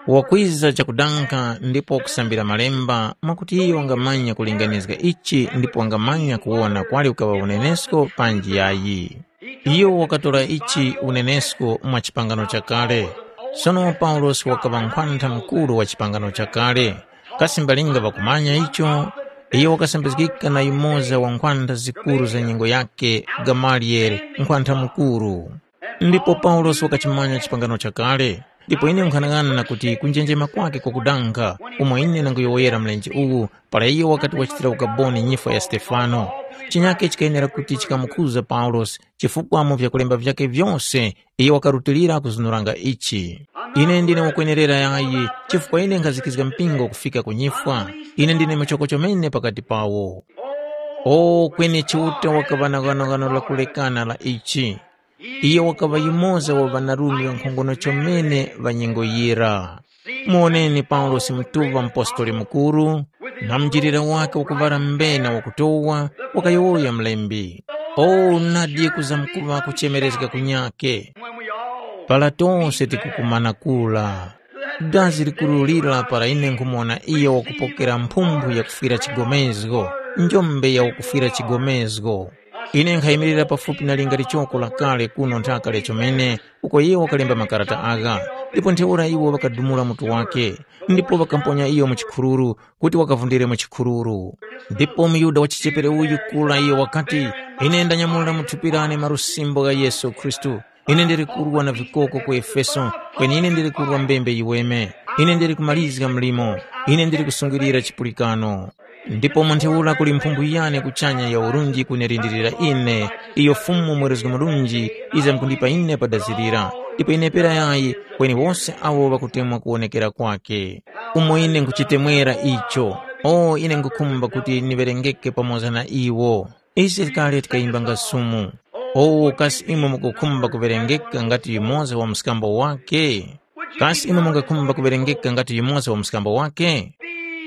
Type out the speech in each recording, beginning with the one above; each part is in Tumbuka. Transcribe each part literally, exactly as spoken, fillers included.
Wakwiza chakudanga ndipo wakusambira Malemba, mwakuti iyo wangamanya kulinganizga ichi ndipo wangamanya kuwona kwali kukaŵa unenesko panji yayi. Iyo wakatora ichi unenesko mwa chipangano chakale. Sono Paulosi wakaŵa nkhwantha mukuru wa chipangano chakale. Kasi mbalinga ŵakumanya icho? Iyo wakasambizgika na yumoza wa nkhwantha zikuru za nyengo yakhe, Gamaliyele, nkhwantha mukuru. Ndipo Paulosi wakachimanya chipangano chakale, ndipo ine nkhanang'ana kuti kunjenjema kwake kwakudanga umo ine ndanguyowoyera mlenje uwu para iyo wakati wachitira ukaboni nyifwa ya Stefano. Chinyake chikayenera kuti chikamukhuza Paulosi, chifukwa mu vyakulemba vyakhe vyose iyo wakarutilira kuzunuranga ichi. Ine ndine wakwenerera yayi, chifukwa ine nkhazikizga mpingo kufika ku nyifwa. Ine ndine muchoko chomene pakati pawo. O kweni Chiuta wakaŵa na ghanoghano lakulekana la ichi. Iyo wakaŵa yumoza wa ŵanarume ŵankhongono chomene ŵa nyengo yira. Muwoneni Paulosi mutuŵa mupostoli mukuru, na munjilira wakhe wakuŵala mbena wakutowa, wakayowoya mlembi. O nadi kuzamkuŵa kuchemerezga kunyakhe! Para tose tikukumana kula. Dazi likuru lira para ine nkhumuwona iyo wakupokera mphumphu yakufwira chigomezgo, njombe ya wakufwira chigomezgo. Ine nkhayimirira pafupi na linga lichoko lakale kuno nthaka lya chomene uko iwo wakalemba makarata agha, ndipo ntheura iwo ŵakadumula mutu wakhe, ndipo ŵakamponya iyo mu chikhururu kuti wakavundire mu chikhururu. Ndipo muYuda wachichepere uyu kura iyo wakati, “Ine ndanyamulira mu thupi lane malusimbo gha Yesu Khristu. Ine ndili kurwa na vikoko ku Efeso, kweni ine ndili kurwa mbembe yiweme. Ine ndili kumalizga mlimo. Ine ndili kusungilira chipulikano.” Ndipo mu ntheura kuli mphumbu yane kuchanya ya urunji kunilindirira ine, iyo Fumu Mwerezgi Murunji yizamkundipa ine pa dazi lira, ndipo ine pera yayi kweni wose awo ŵakutemwa kuwonekera kwakhe. Umo ine nkhuchitemwera icho, o ine nkhukhumba kuti niŵerengeke pamoza na iwo. Ise kale tikayimbanga sumu. O kasi imwe mukukhumba kuŵerengeka ngati yumoza wa mskambo wake? Kasi imwe mungakhumba kuŵerengeka ngati yumoza wa mskambo wake?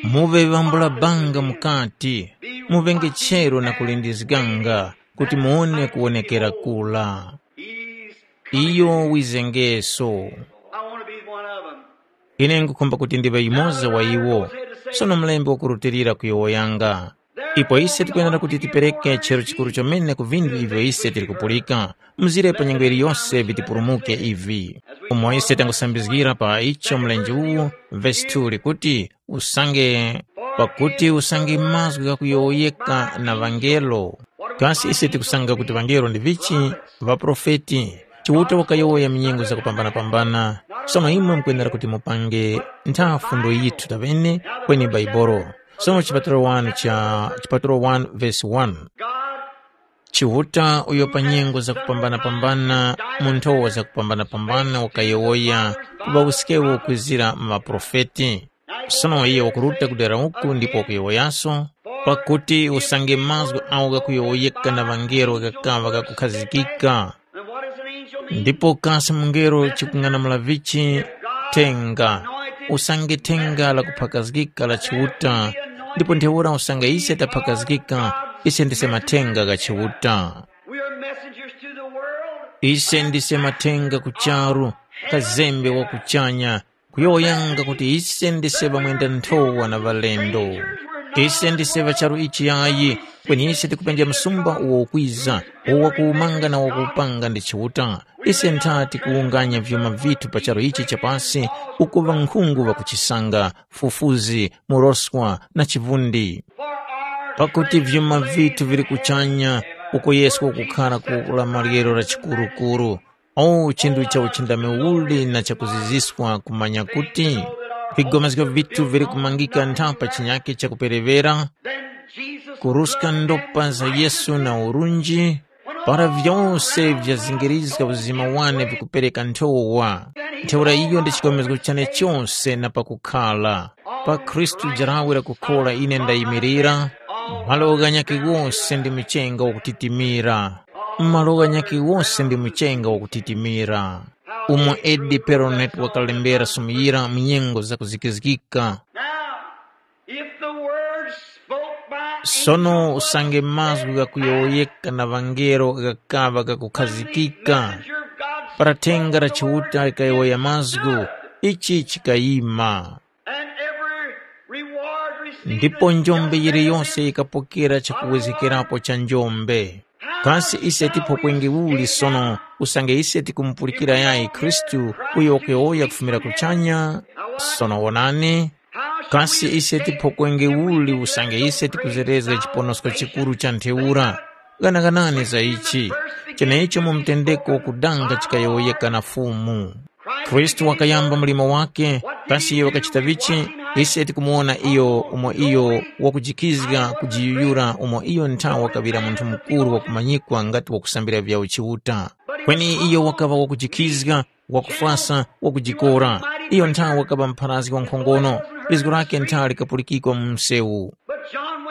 Muŵe ŵambula banga mukati, muŵenge chero na kulindizganga kuti muwone kuwonekera kura. Iyo wizengeso. I want to be one of them. Ine nkhukhumba kuti ndiŵe yumoza wa iwo. Sono mlembi wakurutilira kuyowoyanga. Ipo ise tikwenera kuti tipereke chero chikuru chomene ku vinthu ivyo ise tili kupulika. Mzire pa nyengo yiliyose vitipulumuke ivi. Umo ise tangusambizgira pa icho mlenje uwu, vesi two likuti, usange, pakuti usange mazgu ghakuyowoyeka na ŵangelo. Kasi ise tikusanga kuti ŵangelo ndi vichi? Ŵaprofeti. Chiuta wakayowoya mu nyengo zakupambana-pambana. Sono imwe mukwenera kuti mupange nthafu ndo yithu tabene kweni Baibolo. Sono chipatalo wanu cha chipatalo one verse one. Chiuta uyo pa nyengo zakupambana-pambana mu nthowa zakupambana-pambana wakayowoya ku ŵawuskewo kwizira mu ŵaprofeti. Sono iyo wakuruta ku dera uku ndipo wakuyowoyaso, pakuti usange mazgu agho ghakuyowoyeka na ŵangelo ghakaŵa ghakukhazikika. Ndipo kasi mungelo chikung'anamula vichi? Thenga. Usange thenga lakuphakazgika la Chiuta, ndipo ntheura usange ise taphakazgika, ise ndise mathenga gha Chiuta. We are messengers to the world. Ise ndise mathenga ku charu, kazembe wa kuchanya, kuyowoyanga kuti ise ndise ŵamwenda nthowa na ŵalendo. Ise ndise ŵa charu ichi yayi, kweni ise tikupenja msumba uwo ukwiza, uwo wakuwumanga na wakuwupanga ndi Chiuta. Ise ntha tikuwunganya vyuma vithu pa charu ichi cha pasi, uku ŵankhungu ŵakuchisanga, fufuzi, muroswa na chivundi. Pakuti vyuma vithu vili kuchanya, uko Yesu wakukhara ku la maryero la chikurukuru. O chinthu cha uchindami uli na chakuziziswa kumanya kuti vigomezgo vithu vili kumangika ntha pa chinyake chakuperevera, kuruska ndopa za Yesu na urunji, para vyose vyazingirizga uzima wane vikupereka nthowa. Ntheura iyo ndi chigomezgo chane chose na pakukhala. Pa Khristu jarawe la kukhora ine ndayimirira, malo ghanyakhe ghose ndi mchenga wakutitimira. Malo ghanyakhe ghose ndi mchenga wakutitimira. Umo Edi Peronet wakalembera sumu yira mu nyengo zakuzikizgika. Now, if the word spoke by Sono usange mazgu ghakuyowoyeka na ŵangelo ghakaŵa ghakukhazikika, para thenga la Chiuta likayowoya mazgu, Ichi chikayima. And every reward received ndipo njombe yiliyonse yikapokera chakuwezekerapo cha njombe. Kasi ise tiphokwenge uli sono usange ise tikumupulikira yayi Khristu uyo wakuyowoya kufumira kuchanya? Sono wonani, kasi ise tiphokwenge uli usange ise tikuzerezga chiponosko chikuru cha ntheura? Ghanaganani za ichi, chenecho mu mtendeko wakudanga chikayowoyeka na Fumu. Khristu wakayamba mlimo wake, kasi iyo wakachita vichi? Ise tikumuwona iyo umo iyo wakujikizga kujiyuyura umo iyo nthawe wakaŵira munthu mukuru wakumanyikwa ngati wakusambira vyawo Chiuta. Kweni iyo wakaŵa wakujikizga, wakufwasa, wakujikora. Iyo nthawe wakaŵa mpharazgi wankhongono, lizgu lake nthawe likapulikikwa mu msewu.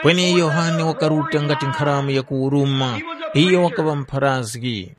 Kweni Yohane wakaruta ngati nkharamu yakuwuruma, iyo wakaŵa mpharazgi.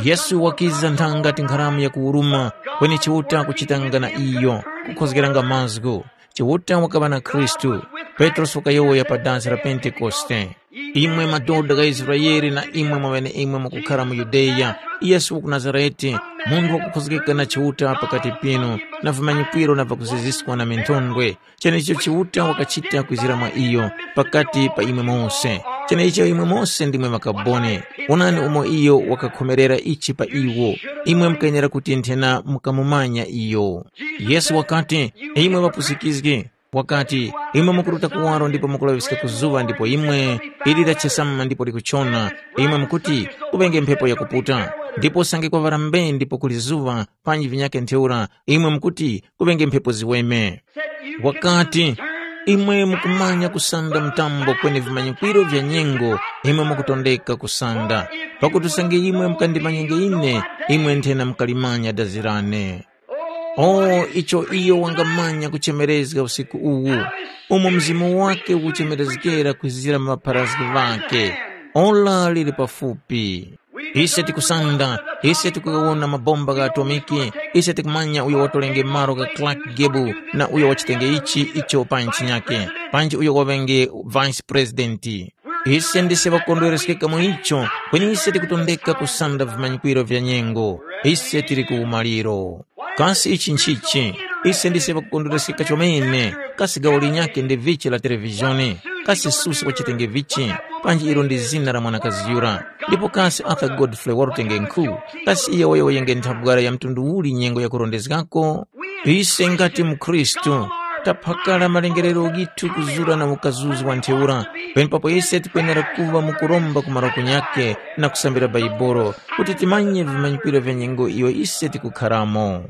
Yesu wakiza nthanga ngati nkharamu yakuwuruma, kweni Chiuta kuchitanga na iyo, kukhozgeranga mazgu. Chiuta wakaŵa na Khristu. Petrosi wakayowoya pa dasi la Pentekoste. Imwe madoda gha Israele na imwe mwaŵeneimwe mwakukhara mu Yudeya, Yesu wa ku Nazarete, munthu wakukhozgeka na Chiuta pakati pinu, na vimanyikwiro na vakuziziskwa na minthondwe, Cheneicho Chiuta wakachita kwizira mwa iyo pakati pa imwe mose. Cheneicho imwe mose ndimwe makaboni. Wonani umo iyo wakakhomerera ichi pa iwo. Imwe mukenera kuti nthena mukamumanya iyo. Yesu wakati, imwe ŵapusikizgi, wakati, imwe mukuruta kuwaro ndipo mukulaŵiska ku zuŵa ndipo imwe ili lachesama ndipo likuchona, imwe mukuti, kuŵenge mphepo yakuputa, ndipo usange kwaŵala mbee ndipo kuli zuŵa, panji vinyakhe ntheura, imwe mukuti, kuŵenge mphepo ziweme. Wakati, imwe mukumanya kusanda mtambo kweni vimanyikwiro vya nyengo, imwe mukutondeka kusanda. Pakuti usange imwe mukandimanyenge ine, imwe nthena mukalimanya dazi lane. O, icho iyo wangamanya kuchemerezga usiku uwu, umo mzimu wake ukuchemerezgera kwizira mu ŵapharazgi ŵakhe. Ora lili pafupi. Ise tikusanda, ise tikugawona mabomba gha atomiki, ise tikumanya uyo watolenge malo gha Clark Gable na uyo wachitenge ichi icho pa ntchinyake, panji uyo waŵenge vice president. Ise ndise ŵakukondwereskeka mu icho, kweni ise tikutondeka kusanda vimanyikwiro vya nyengo. Ise tili ku umaliro. Kasi ichi nchichi? Ise ndise ŵakukondwereskeka chomene. Kasi gawo linyakhe ndi vichi la televizhoni? Kasi Susa wachitenge vichi? Panji ilo ndi zina la mwanakazi yura. Ndipo kasi Arthur Godfrey warutenge nkhu? Kasi iyo wayowoyenge nthabwara ya mtundu uli nyengo yakurondezgako? Ise ngati mukhristu, taphakala malengerero ghithu kuzura na ukazuzi wa ntheura, penepapo ise tikwenera kuŵa mu kuromba ku marokonya ghakhe na kusambira Baibolo, kuti timanye vimanyikwiro vya nyengo iyo ise tikukharamo.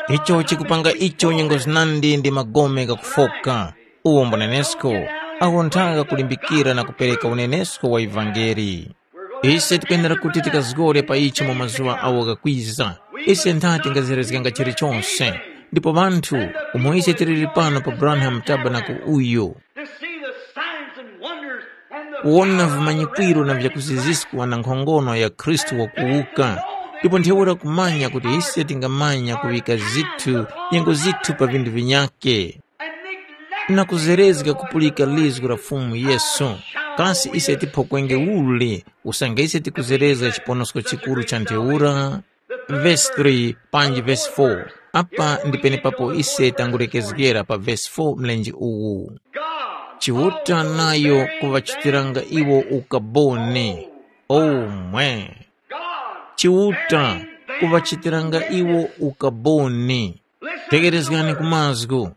Icho chikupanga icho nyengo zinandi ndi magome ghakufoka, uwo mbunenesko, awo nthaka kulimbikira na kupereka unenesko wa ivangeli. Ise tikwenera kuti tikazgore pa ichi mu mazuŵa awo ghakwiza. Ise ntha tingazerezganga chilichose. Ndipo ŵanthu, umo ise tiliri pano pa Branham Tabernacle uyu, to see the signs and wonders and the kuwona vimanyikwiro na vyakuziziskwa na nkhongono ya Khristu wakuwuka, ndipo ntheura kumanya kuti ise tingamanya kuŵika zithu, nyengo zithu pa vinthu vinyakhe, na kuzerezga kupulika lizgu la Fumu Yesu. Kasi ise tiphokwenge uli usange ise tikuzerezga chiponosko chikuru cha ntheura? Vesi three panji vesi four. Apa ndi penepapo ise tangulekezgera pa vesi four mlenje uwu. Chiuta nayo kuŵachitiranga iwo ukaboni. Omwe. Chiuta kuŵachitiranga iwo ukaboni. Tegerezgani ku mazgu.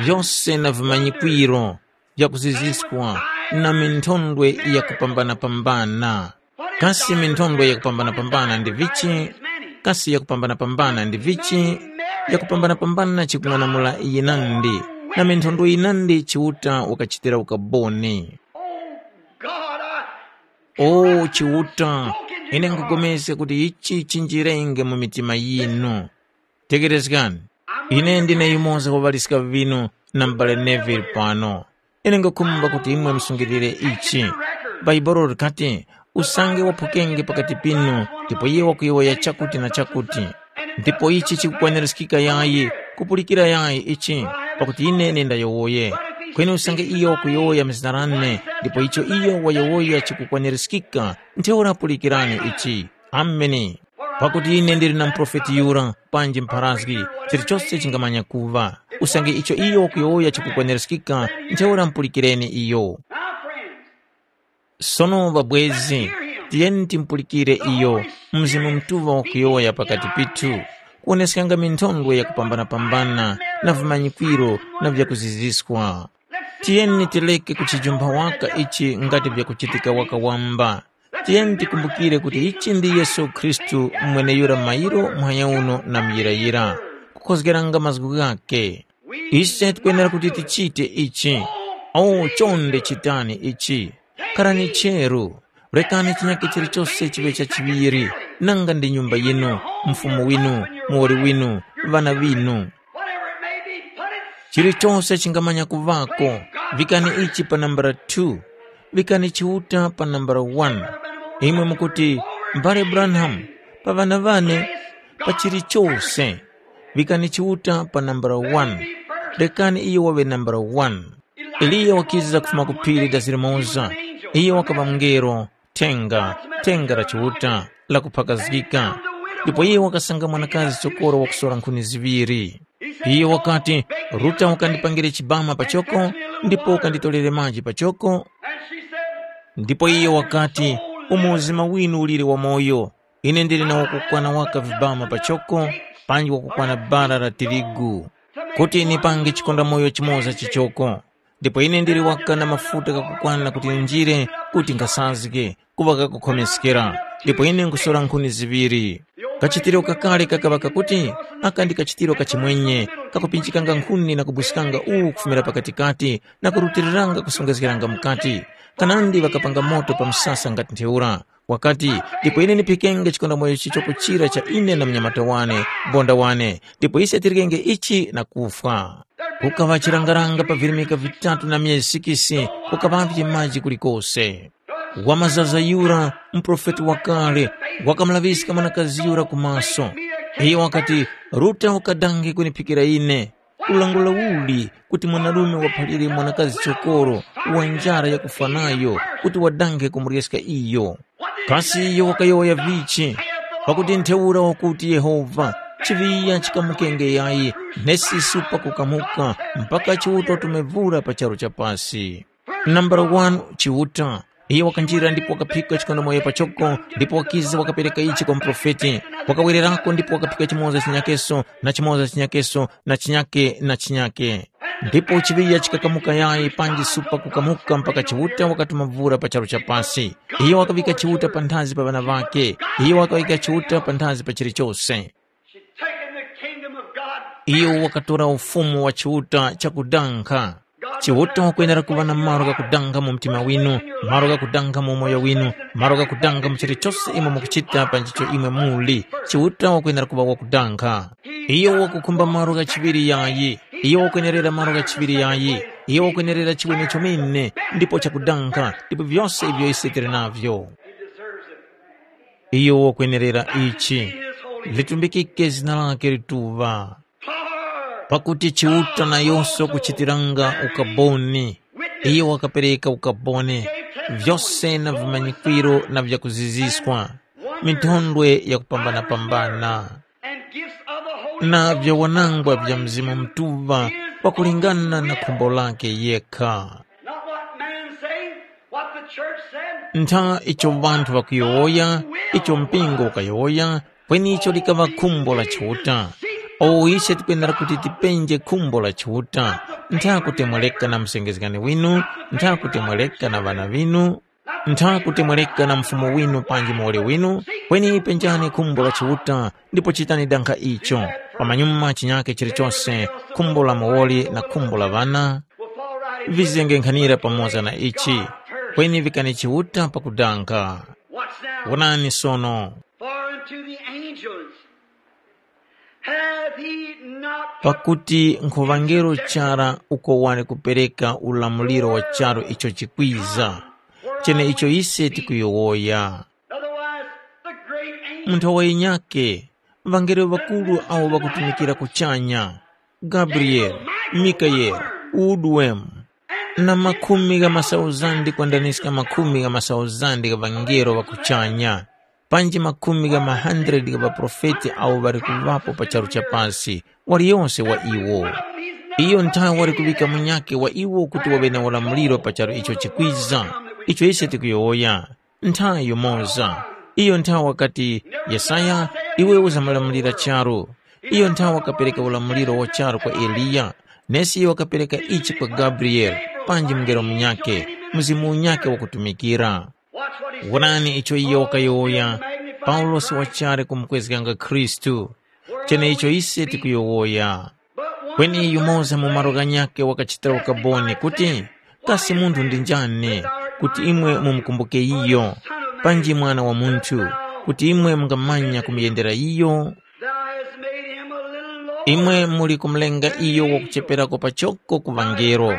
Vyose na vimanyikwiro vyakuziziskwa na minthondwe yakupambana-pambana. Kasi minthondwe yakupambana-pambana ndi vichi? Kasi yakupambana-pambana ndi vichi? Yakupambana-pambana chikung'anamula yinandi, na minthondwe yinandi Chiuta wakachitira ukaboni. O Chiuta, ine nkhupulikana kuti ichi chinjirenge mu mitima yinu. Tegerezgani, ine ndine yumoza wa ŵaliska ŵinu na m'bale Neville pano. Ine nkhukhumba kuti imwe musungilire ichi. Bhaibuli likati, usange waphukenge pakati pinu, ndipo iye wakuyowoya chakuti na chakuti. Ndipo ichi chikukwanirizgika yayi, kupulikira yayi ichi, pakuti ine ndayowoye. Kweni usange iyo wakuyowoya mu zina lane, ndipo icho iyo wayowoya chikukwanirizgika, ntheura pulikirani ichi. Ameni. Pakuti ine ndili na muprofeti yura, panji mpharazgi, chilichose chingamanya kuŵa. Usange icho iyo wakuyowoya chikukwenereskika, ntheura mupulikireni iyo. Sono ŵabwezi, tiyeni timupulikire iyo, Mzimu Mutuŵa wakuyowoya pakati pithu, kuwoneskanga minthondwe yakupambana-pambana na vimanyikwiro na vyakuziziskwa. Tiyeni tireke kuchijumpha waka ichi ngati vyakuchitika waka wamba. Tiyeni tikumbukire kuti ichi ndi Yesu Khristu mweneyura mairo muhanya uno na muyirayira, kukhozgeranga mazgu ghakhe. Ise tikwenera kuti tichite ichi. O, chonde chitani ichi. Kharani cheru. Rekani chinyakhe chilichose chiŵe chachiŵiri, nanga ndi nyumba yinu, mfumu winu, muwoli winu, ŵana ŵinu. Whatever it may be, put it. Chilichose chingamanya kuvako, vikani ichi pa nambala two, vikani Chiuta pa nambala one. Imwe mukuti, mbale Branham, pa ŵana ŵane, pa chilichose, vikani Chiuta pa nambala one. Rekani iyo waŵe nambala one. Eliya wakiza kufuma ku phiri Dazirimoza. Iyo wakaŵa mngelo, thenga, thenga la Chiuta, lakuphakazgika. Ndipo iye wakasanga mwanakazi chokoro wakusora nkhuni ziŵiri. Iye wakati, Ruta wakandipangire chibama pachoko, ndipo ukanditorere maji pachoko. Ndipo iye wakati, umo uzima winu uliri wamoyo, ine ndili na wakukwana waka vibama pachoko, panji wakukwana bara la tirigu, kuti nipange chikondamoyo chimoza chichoko. Ndipo ine ndili waka na mafuta ghakukwana kuti njire kuti nkhasazge, kuŵa kakukhomeskera, ndipo ine nkhusora nkhuni ziŵiri. Kachitiro kakale kakaŵa kakuti, aka ndi kachitiro kachimwenye, kakupinjikanga nkhuni na kubwiskanga uwu kufumira pakatikati na kurutiriranga kusongezgeranga mukati. Kanandi ŵakapanga moto pa msasa ngati ntheura. Wakati, ndipo ine ndiphikenge chikondamoyo chichoko chira cha ine na mnyamata wane, bonda wane, ndipo ise tirikenge ichi na kufwa. Kukaŵa chirangaranga pa virimika vitatu na myezi sikisi, kukaŵavye maji kulikose. Wamazaza yura, muprofeti wakale, wakamulaŵiska mwanakazi yura ku maso. Iyo wakati, Ruta ukadange kuniphikira ine. Ulangula uli kuti mwanarume waphalire mwanakazi chokoro wa njara yakufwa nayo kuti wadange kumuryeska iyo? Kasi iyo wakayowoya vichi? Pakuti ntheura wakuti Yehova, chiŵiya chikamukenge yayi, nesi supa kukamuka mpaka Chiuta utume vura pa charu cha pasi. Nambala wanu Chiuta. Iye wakanjira ndipo wakaphika chikondomoyo pachoko, ndipo wakiza wakapereka ichi kwa muprofeti. Wakawererako ndipo wakaphika chimoza chinyakeso, na chimoza chinyakeso, na chinyake, na chinyake. Ndipo chiŵiya chikakamuka yayi panji supa kukamuka mpaka Chiuta wakatuma vura pa charu cha pasi. Iyo wakaŵika Chiuta panthazi pa ŵana ŵakhe. Iyo wakaŵika Chiuta panthazi pa chilichose. She's taken the kingdom of God. Iyo wakatora ufumu wa Chiuta chakudankha. Chiuta wakwenera kuŵa na malo ghakudankha mu mtima winu, malo ghakudankha mu umoyo winu, malo ghakudankha mu chilichose imwe mukuchita pa nchicho imwe muli. Chiuta wakwenera kuŵa wakudankha. Iyo wakukhumba malo ghachiŵiri yayi. Iyo wakwenerera malo ghachiŵiri yayi. Iyo wakwenerera chiweme chomene, ndipo chakudankha, ndipo vyose ivyo ise tili navyo. Iyo wakwenerera ichi. Litumbikike zina lake lituŵa. Pakuti Chiuta nayose wakuchitiranga ukaboni. Iyo wakapereka ukaboni, vyose na vimanyikwiro na vyakuziziskwa, minthondwe yakupambana-pambana, na vyawanangwa vya Mzimu Mutuŵa pakulingana na khumbo lake yekha. Not what man say, what the church said. Ntha icho ŵanthu ŵakuyowoya, icho mpingo ukayowoya, kweni icho likaŵa khumbo la Chiuta. O ise tikwenera kuti tipenje khumbo la Chiuta, ntha kutemwereka na msengezgani winu, ntha kutemwereka na ŵana ŵinu, ntha kutemwereka na mfumu winu panji muwoli winu, kweni penjani khumbo la Chiuta, ndipo chitani dankha icho. Pamanyuma chinyake chilichose, khumbo la muwoli na khumbo la ŵana, vizengekhanira pamoza na ichi, kweni vikani Chiuta pakudankha. Wonani sono. For unto the angels hath he not put Pakuti nkhuŵangelo chara uko wali kupereka ulamuliro wa charu icho chikwiza, chene icho ise tikuyowoya. Otherwise, the great angel Munthu wayinyake, ŵangelo ŵakuru awo ŵakutumikira kuchanya, Gabriele, Mikaele, Uduwemu, na makhumi gha masauzandi kwandaniska makhumi gha masauzandi gha ŵangelo ŵa kuchanya, panji makhumi gha ma-hundred gha ŵaprofeti awo ŵali kuŵapo pa charu cha pasi, waliyose wa iwo. Iyo nthawe wali kuŵika munyakhe wa iwo kuti waŵe na ulamuliro pa charu icho chikwiza, icho ise tikuyowoya. Nthawe yumoza, iyo nthawe wakati, “Yesaya, iwe uzamulamulira charu.” Iyo nthawe wakapereka ulamuliro wa charu kwa Eliya, nesi iyo wakapereka ichi kwa Gabriyele, panji mungelo munyakhe, mzimu unyakhe wakutumikira. Wonani icho iyo wakayowoya, Paulosi wachali kumukwezganga Khristu. Cheneicho ise tikuyowoya. Kweni yumoza mu malo ghanyakhe wakachitira ukaboni kuti, kasi munthu ndi njani, kuti imwe mumukumbuke iyo, panji mwana wa munthu, kuti imwe mungamanya kumuyendera iyo? Thou hast made him a little lower. Imwe muli kumulenga iyo wakucheperako pachoko ku ŵangelo.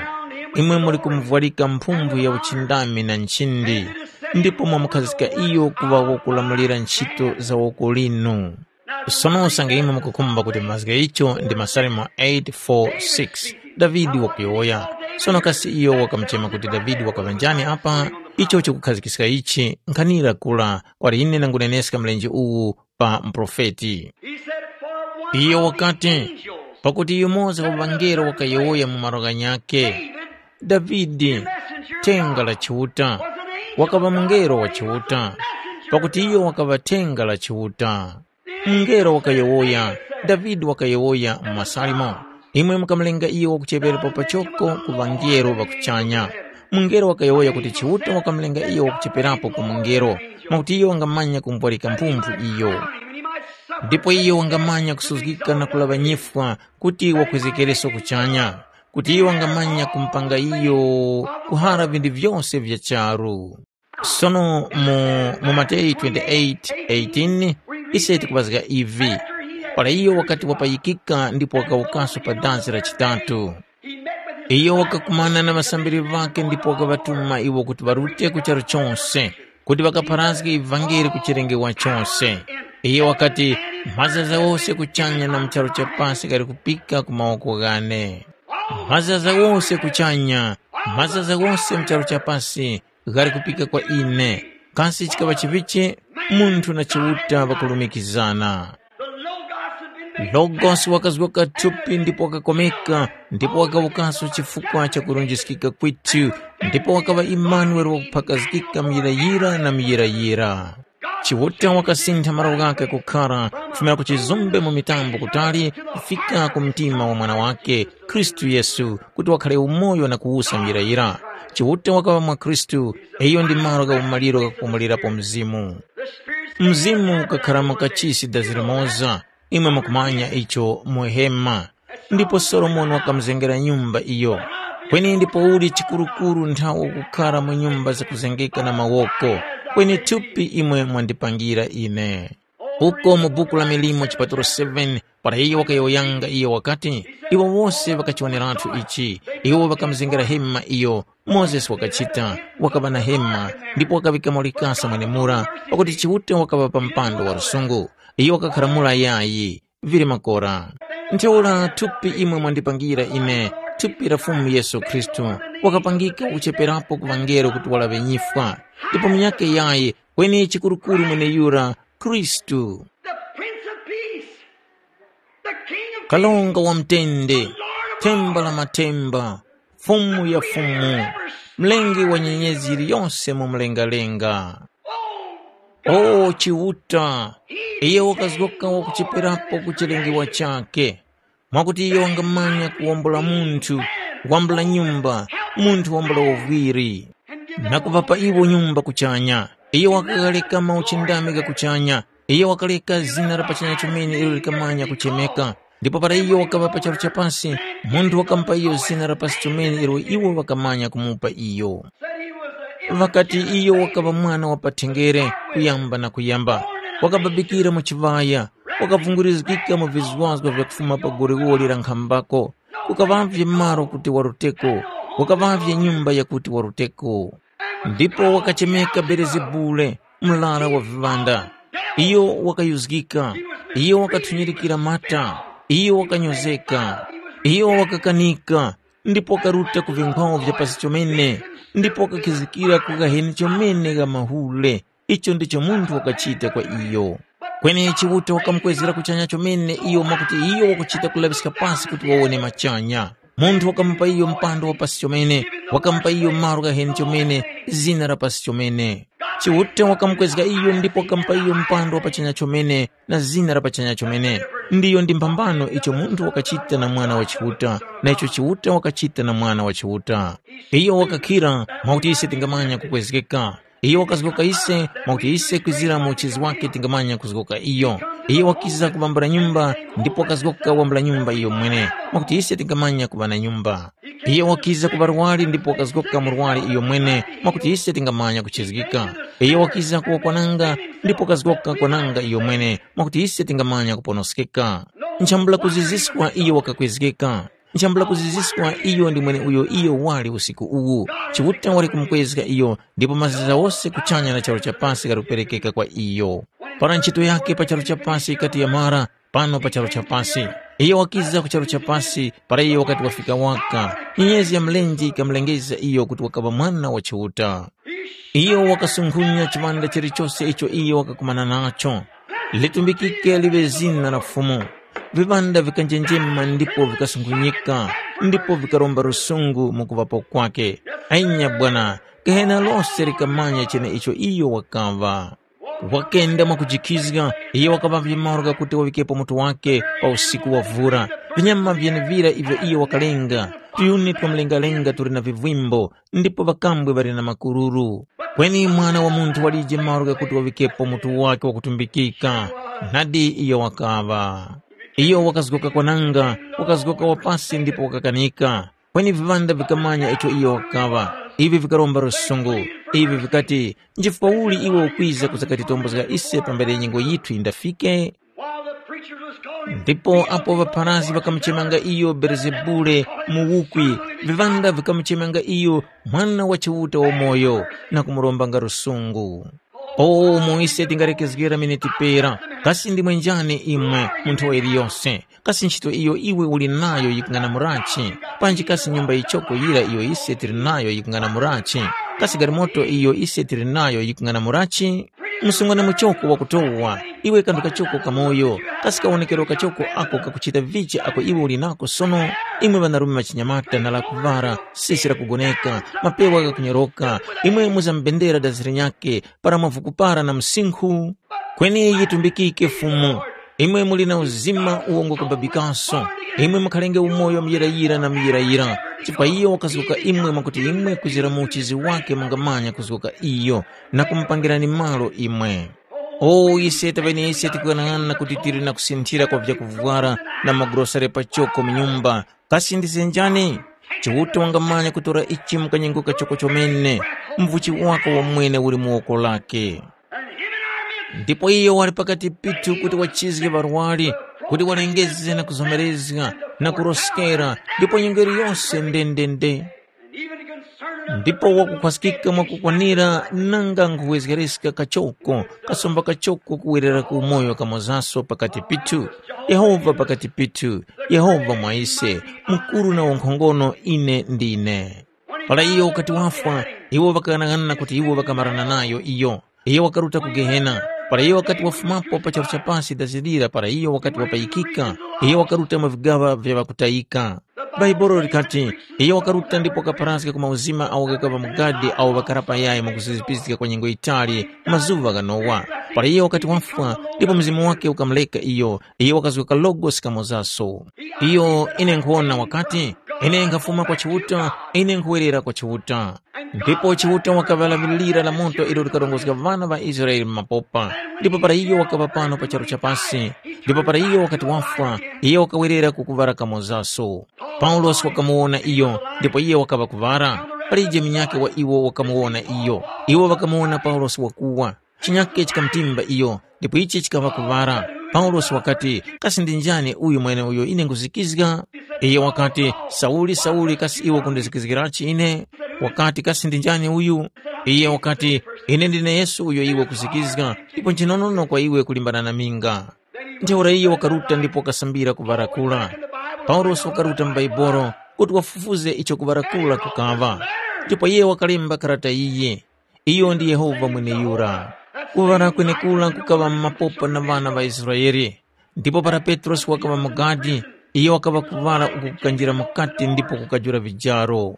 Imwe muli kumuvwarika mphumphu ya uchindami na nchindi, ndipo mwamukhazika iyo kuŵa wakulamulira ntchito za woko linu. Sono usange imwe mukukhumba kuti mazgu gha icho ndi Masalimo eight four six, Davide wakuyowoya. Sono kasi iyo wakamuchema kuti Davide wakaŵa njani apa? Icho chikukhazikiska ichi, nkhanira kula kwali ine nanguneneska mlenje uwu pa muprofeti. He said, "For one Iyo of the wakati, angels pakuti yumoza wa ŵangelo wakayowoya mu malo ghanyakhe, David, Davide, messenger of thenga la God, Chiuta, was an angel wakaŵa of God, mungelo wa for he was a Chiuta, messenger pakuti of iyo God." Wakaŵa thenga la Chiuta. Mungelo wakayowoya, Davide wakayowoya mu Masalimo, imwe mukamulenga iyo wakucheŵerapo pachoko ku ŵangelo ŵa kuchanya. Mungelo wakayowoya kuti Chiuta wakamulenga iyo wakucheperapo ku mungelo, mwakuti iyo wangamanya kumupwarika mphumphu iyo. Ndipo iyo wangamanya kusuzgika na kulaŵa nyifwa kuti wakwezgekereso kuchanya, kuti iyo wangamanya kumupanga iyo kuhara vinthu vyose vya charu. Sono mu, mu Mateyu twenty-eight eighteen, ise tikuŵazga ivi, para iyo wakati wapayikika ndipo wakawukaso pa dazi la chitatu. Iyo wakakumana na ŵasambiri ŵakhe ndipo wakaŵatuma iwo kuti ŵarute ku charu chose, kuti ŵakapharazge ivangeli ku chilengewa chose. Iyo wakati, “Mazaza ghose kuchanya na mu charu cha pasi ghali kupika ku mawoko ghane. Mazaza ghose kuchanya, mazaza ghose mu charu cha pasi ghali kupika kwa ine. Kasi chikaŵa chivichi munthu na Chiuta ŵakulumikizana?” Logosi wakazgoka thupi ndipo wakakomeka, ndipo wakawukaso chifukwa cha kurunjiskika kwithu, ndipo wakaŵa Imanuele wakuphakazgika muyirayira na muyirayira. Chiuta wakasintha malo ghakhe kukhara kufumira ku chizumbe mu mitambo kutali kufika ku mtima wa Mwana wakhe, Khristu Yesu, kuti wakhale umoyo na kuwusa muyirayira. Chiuta wakaŵa mwa Khristu, iyo ndi malo gha umaliro ghakupumulirapo Mzimu. Mzimu ukakharamo kachisi dazi limoza, imwe mukumanya icho mu hema. Ndipo Solomoni wakamuzengera nyumba iyo. Kweni ndipouli chikurukuru nthawe ukukhara mu nyumba zakuzengeka na mawoko, kweni thupi imwe mwandipangira ine. Uko mu buku la milimo chipatulo seven, para iyo wakayowoyanga iyo wakati, iwo wose ŵakachiwoneratu ichi, iwo ŵakamuzengera hema iyo, Mozesi wakachita, wakaŵa na hema, ndipo wakaŵikamo likasa mwenemura, pakuti Chiuta wakaŵa pa mpando wa lusungu. Iyo wakakhara mura yayi, vili makora. Ntheura thupi imwe mwandipangira ine, thupi la Fumu Yesu Khristu, wakapangika kucheperapo ku ŵangelo kuti walaŵe nyifwa, ndipo munyakhe yayi, kweni chikurukuru mweneyura, Khristu. The Prince of Peace, the King of Kalonga wa mtende, themba la mathemba, Fumu ya fumu, mlengi wa nyenyezi yiliyose mu mlengalenga. O Chiuta, iyo wakazgoka wakucheperapo ku chilengewa chakhe, mwakuti iyo wangamanya kuwombola munthu, wambula nyumba, munthu wambula uvwiri, na kuŵapa iwo nyumba kuchanya. Iyo wakaghaleka mauchindami gha kuchanya. Iyo wakaleka zina la pachanya chomene ilo likamanya kuchemeka. Ndipo para iyo wakaŵa pa charu cha pasi, munthu wakamupa iyo zina la pasi chomene ilo iwo ŵakamanya kumupa iyo. Ŵakati iyo wakaŵa mwana wa pathenjere kuyamba na kuyamba, wakababikira mu chiŵaya, wakavungurizgika mu vizwazgo vyakufuma pa goliwoli la nkhambako, kukaŵavye malo kuti waruteko, kukaŵavye nyumba yakuti waruteko. Ndipo wakachemeka Belezebule, murara wa viŵanda. Iyo wakayuzgika, iyo wakathunyirikira mata, iyo wakanyozeka, iyo wakakanika, ndipo wakaruta ku vinkhwawo vya pasi chomene, ndipo wakakhizikira ku ghaheni chomene gha mahule, Icho ndicho munthu wakachita kwa iyo. Kweni Chiuta wakamukwezgera kuchanya chomene iyo mwakuti iyo wakuchita kulaŵiska pasi kuti wawone machanya. Munthu wakamupa iyo mpando wa pasi chomene, wakamupa iyo malo ghaheni chomene, zina la pasi chomene. Chiuta wakamukwezga iyo ndipo wakamupa iyo mpando wa pachanya chomene na zina la pachanya chomene. Ndiyo ndi mphambano icho munthu wakachita na Mwana wa Chiuta, na icho Chiuta wakachita na Mwana wa Chiuta. Iyo wakakhira mwakuti ise tingamanya kukwezgeka. Iyo wakazgoka ise, mwakuti ise kwizira mu uchizi wake tingamanya kuzgoka iyo. Iyo wakiza kubambula nyumba, ndipo wakazgoka wambula nyumba iyo mwene, mwakuti ise tingamanya kuŵa na nyumba. Iyo wakiza ku ŵarwari ndipo wakazgoka murwari iyo mwene, mwakuti ise tingamanya kuchizgika. Iyo wakiza ku ŵakwananga, ndipo wakazgoka kwananga iyo mwene, mwakuti ise tingamanya kuponoskeka. Nchambula kuziziswa iyo wakakwezgeka. Nchambula kuziziswa iyo ndi mweneuyo iyo wali usiku uwu. Chiuta wali kumukwezga iyo, ndipo mazizi ghose kuchanya na charu cha pasi ghali kuperekeka kwa iyo. Para ntchito yakhe pa charu cha pasi yikati yamara, pano pa charu cha pasi. Iyo wakiza ku charu cha pasi, para iyo wakati wafika waka. Nyenyezi ya mlenje yikamulengeza iyo kuti wakaŵa mwana wa Chiuta. Iyo wakasunkhunya chiŵanda chilichose icho iyo wakakumana nacho. Litumbikike liŵe zina la Fumu. Viŵanda vikanjenjema ndipo vikasunkhunyika, ndipo vikaromba lusungu mu kuŵapo kwake. Anya bwana, gehena lose likamanya cheneicho iyo wakaŵa. Wakenda mwakujikhizga, iyo wakaŵavye malo ghakuti wavikepo mutu wake pa usiku wa vura. Vinyama vyenevira ivyo iyo wakalenga, tuyuni twa mlengalenga tuli na vivwimbo, ndipo ŵakambwe ŵali na makururu. Kweni Mwana wa Munthu walije malo ghakuti wavikepo mutu wake wakutumbikika. Nadi iyo wakaŵa. Iyo wakazgoka kwananga, wakazgoka wapasi ndipo wakakanika. Kweni viŵanda vikamanya icho iyo wakaŵa. Ivi vikaromba lusungu. Ivi vikati, nchifukwa uli iwe ukwiza kuzakatitombozga ise pambere nyengo yithu yindafike? While the preachers was calling Ndipo apo ŵapharazgi ŵakamuchemanga iyo Belezebule, muwukwi, viŵanda vikamuchemanga iyo Mwana wa Chiuta wamoyo na kumurombanga lusungu. O umo ise tingalekezgera miniti pera, kasi ndimwe njani imwe mu nthowa yiliyose? Kasi nchito iyo iwe uli nayo yikung'anamurachi? Panji kasi nyumba yichoko yira iyo ise tili nayo yikung'anamurachi? Kasi galimoto iyo ise tili nayo yikung'anamurachi? Msungwana muchoko wakutowa, iwe kanthu kachoko kamoyo, kasi kawonekero kachoko ako kakuchita vichi ako iwe uli nako sono? Imwe ŵanarume ŵachinyamata na lakuŵara, sisi lakugoneka, mapewa ghakunyoroka, imwe muzambendera dazi linyakhe, para mwavuku para na msinkhu? Kweni yitumbikike Fumu, imwe muli na uzima uwo ngwakubabikaso, imwe mukhalenge umoyo muyirayira na muyirayira, chifukwa iyo wakazgoka imwe mwakuti imwe kuzira mu uchizi wake mungamanya kuzgoka iyo, na kumupangirani malo imwe. O ise taŵene ise tikughanag'ana kuti tili na kusinthira kwa vyakuvwara na magurosere pachoko mu nyumba, kasi ndize njani? Chiuta wangamanya kutora ichi mu kanyengo kachoko chomene, mvuchi wako wamwene uli mu woko lake. Ndipo iyo wali pakati pithu kuti wachizge ŵarwari, kuti walengeze na kuzomerezga na kuroskera, ndipo nyengo yose ndendende. Ndipo wakukhwaskika mwakukwanira nanga nkhuwezgereska kachoko, kasomba kachoko kuwerera ku umoyo kamozaso pakati pithu. Yehova pakati pithu, Yehova mwa ise, mukuru na wankhongono ine ndine. Para iyo wakati wafwa, iwo ŵakaghanaghanana kuti iwo ŵakamarana nayo iyo. Iyo wakaruta ku Gehena. Para iyo wakati wafumapo pa charu cha pasi dazilira para iyo wakati wapayikika, iyo wakaruta mu vigaŵa vya ŵakutayika. Bhaibuli likati, iyo wakaruta ndipo wakapharazga ku mauzima awo ghakaŵa mu gadi awo ŵakara payayi mwakuzizipiska kwa nyengo yitali, mazuŵa gha Nowa. Para iyo wakati wafwa, ndipo mzimu wake ukamureka iyo, iyo wakazgoka logosi kamozaso. Iyo ine nkhuwona wakati, ine nkhafuma kwa Chiuta, ine nkhuwerera kwa Chiuta. Ndipo Chiuta wakaŵa laŵi lira la moto ilo likarongozga ŵana ŵa Israele mu mapopa. Ndipo para iyo wakaŵa pano pa charu cha pasi, ndipo para iyo wakati wafwa, iyo wakawerera ku kuŵara kamozaso. Paulosi wakamuwona iyo, ndipo iyo wakaŵa kuŵara. Palije munyakhe wa iwo wakamuwona iyo. Iwo ŵakamuwona Paulosi wakuwa. Chinyakhe chikamutimba iyo, ndipo ichi chikaŵa kuŵara. Paulosi wakati, kasi ndi njani uyu mweneuyo ine nkhuzikizga? Iyo wakati, Sauli, Sauli, kasi iwe ukundizikizgirachi ine? Wakati, kasi ndi njani uyu? Iye wakati, ine ndine Yesu uyo iwe ukuzikizga, ndipo nchinonono kwa iwe kulimbana na minga. Ntheura iyo wakaruta ndipo wakasambira kuŵarakura. Paulosi wakaruta mu Baibolo kuti wafufuze icho kuŵarakura kukaŵa. Ndipo iye wakalemba karata iyi. Iyo ndi Yehova mweneyura. Kuŵala kwenekura kukaŵa mu mapopa na ŵana ŵa Israele. Ndipo para Petrosi wakaŵa mu gadi, iyo wakaŵa kuŵala uku kukanjira mukati ndipo kukajula vijaro.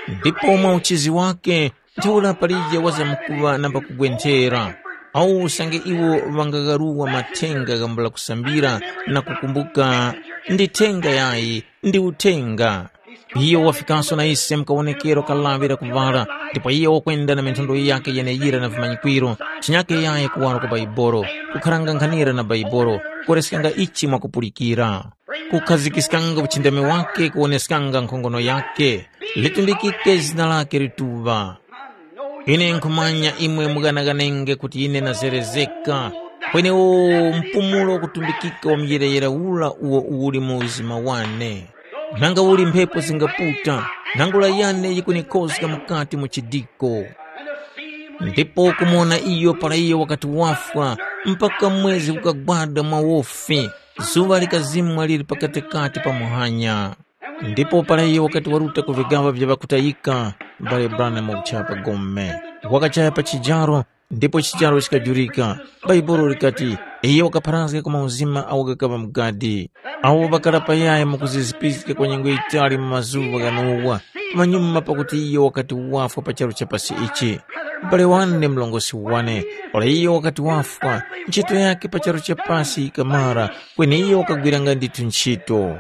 Ndipo mwa uchizi wake, ntheura palije wazamkuŵa namba kugwenthera, awu usange iwo ŵangagharuwa mathenga ghambula kusambira na kukumbuka, ndi thenga yayi, ndi uthenga. Iyo wafikaso na ise mu kawonekero ka lawi la kuŵala, ndipo iyo wakwenda na minthondwe yakhe yeneyira na vimanyikwiro, chinyake yayi kuwaro kwa Baibolo, kukharanga nkhanira na Baibolo, kuwereskanga ichi mwakupulikira, kukhazikiskanga uchindami wakhe kuwoneskanga nkhongono yakhe, litundikike zina lakhe lituŵa. Ine nkhumanya imwe mughanaghanenge kuti ine nazerezeka, kwenewo mpumulo wakutumbikika wa muyerayera ura uwo uli mu uzima wane. Nanga uli mphepo zingaputa, nangula yane yikunikhozga mukati mu chidiko. Ndipo kumuwona iyo para iyo wakati wafwa, mpaka mwezi ukagwada mwa wofi, zuŵa likazimwa lili pakatikati pa muhanya. Ndipo para iyo wakati waruta ku vigaŵa vya ŵakutayika, m'bale Branham wakuchaya pa gome. Wakachaya pa chijaro, ndipo chijaro chikajurika. Bhaibuli likati, iyo wakapharazga ku mauzima awo ghakaŵa mu gadi. Awo ŵakara payaya mu kuzizipiska kwa nyengo yitali mu mazuŵa gha Nowa, pamanyuma pakuti iyo wakati wafwa pa charu cha pasi ichi. M'bale wane murongozgi wane, para iyo wakati wafwa, ntchito yakhe pa charu cha pasi yikamara, kweni iyo wakagwiranga ndithu ntchito.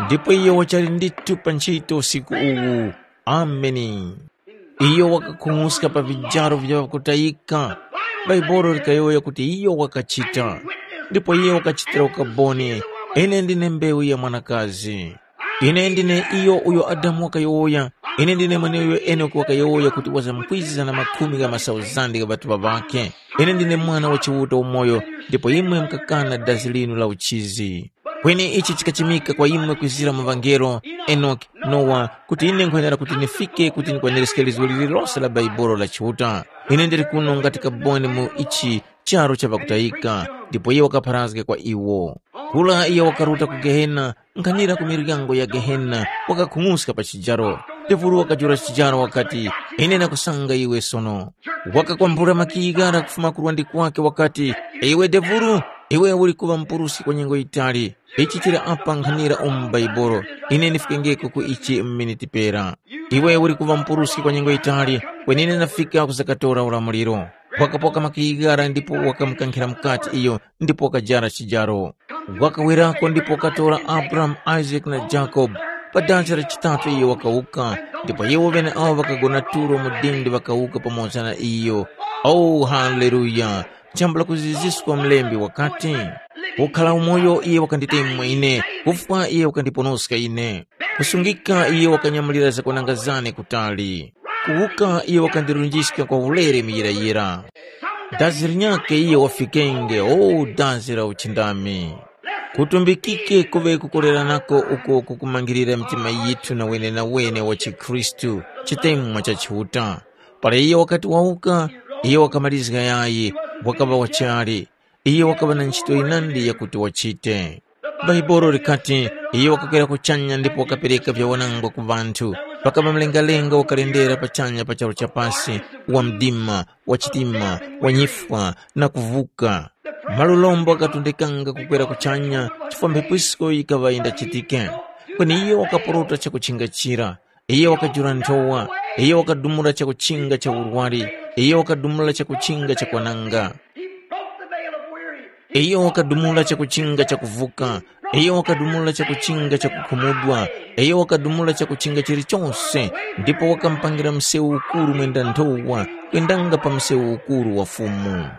Ndipo iyo wachali ndithu pa ntchito usiku uwu. Ameni. Iyo wakakhung'uska pa vijaro vya ŵakutayika. Bhaibuli likayowoya kuti iyo wakachita. Ndipo iyo wakachitira ukaboni, ine ndine mbewu ya mwanakazi. Ine ndine iyo uyo Adamu wakayowoya, ine ndine mweneuyo Enoki wakayowoya kuti wazamkwiza na makhumi gha masauzande gha ŵatuŵa ŵakhe. Ine ndine Mwana wa Chiuta umoyo, ndipo imwe mukakana dazi linu la uchizi. Kweni ichi chikachimika kwa imwe kwizira mu ŵangelo, Enoki, Nowa, kuti ine nkhwenera kuti ndifike kuti ndikwaniske lizgu lililose la Bhaibuli la Chiuta. Ine ndili kuno ngati kaboni mu ichi charu cha ŵakutayika, ndipo iye wakapharazga kwa iwo. Kura iye wakaruta ku Gehena, nkhanira ku miryango ya Gehena, wakakhung'uska pa chijaro. Devulu wakajula chijaro wakati, ine nakusanga iwe sono. Wakakwambula makiyi ghara kufuma ku lwandi kwake wakati, iwe Devulu, iwe uli kuŵa mupuruski kwa nyengo yitali. Ichi chili apa nkhanira umu mu Bhaibuli, ine ndifikengeko ku ichi mu miniti pera. Iwe uli kuŵa mupuruski kwa nyengo yitali, kweni ine ndafika kuzakatora ulamuliro. Wakapoka makiyi ghara ndipo wakamukankhira mukati iyo ndipo wakajara chijaro. Wakawerako ndipo wakatora Abrahamu, Isake na Jakobe. Pa danja la chitatu iyo wakawuka, ndipo iwo ŵeneawo ŵakagona tulo mu dindi ŵakawuka pamoza na iyo. O, haleluya! Chambula kuziziska mlembi wakati, kukhala umoyo iye wakanditemwa ine, kufwa iye wakandiponoska ine. Kusungika iye wakanyamulira zakwananga zane kutali. Kuwuka iye wakandirunjiska kwa ulere muyirayira. Dazi linyakhe iye wafikenge, o dazi la uchindami. Kutumbikike kuŵe kukoleranako uko kukumangirira mitima yithu na wenenawene wa chikhristu, chitemwa cha Chiuta. Para iye wakati wawuka, iye wakamalizga yayi, wakaŵa wachali. Iye wakaŵa na ntchito yinandi yakuti wachite. Bhaibuli likati, iye wakakwera kuchanya ndipo wakapereka vyawanangwa ku ŵanthu. Pakaŵa mlengalenga wakalendera pachanya pa charu cha pasi, wa mdima, wa chitima, wa nyifwa, na kuvuka. Malulombo ghakatondekanga kukwera kuchanya chifukwa mphepo yisko yikaŵa yindachitike. Kweni iyo wakaporota chakuchinga chira. Iyo wakajula nthowa, iyo wakadumula chakuchinga cha urwari, iyo wakadumula chakuchinga cha kwananga. He broke the veil of weary. Iyo wakadumula chakuchinga cha kuvuka, iyo wakadumula chakuchinga cha kukhumudwa, iyo wakadumula chakuchinga chilichonse, ndipo wakamupangira msewu ukuru mwenda nthowa, kwendanga pa msewu ukuru wa Fumu.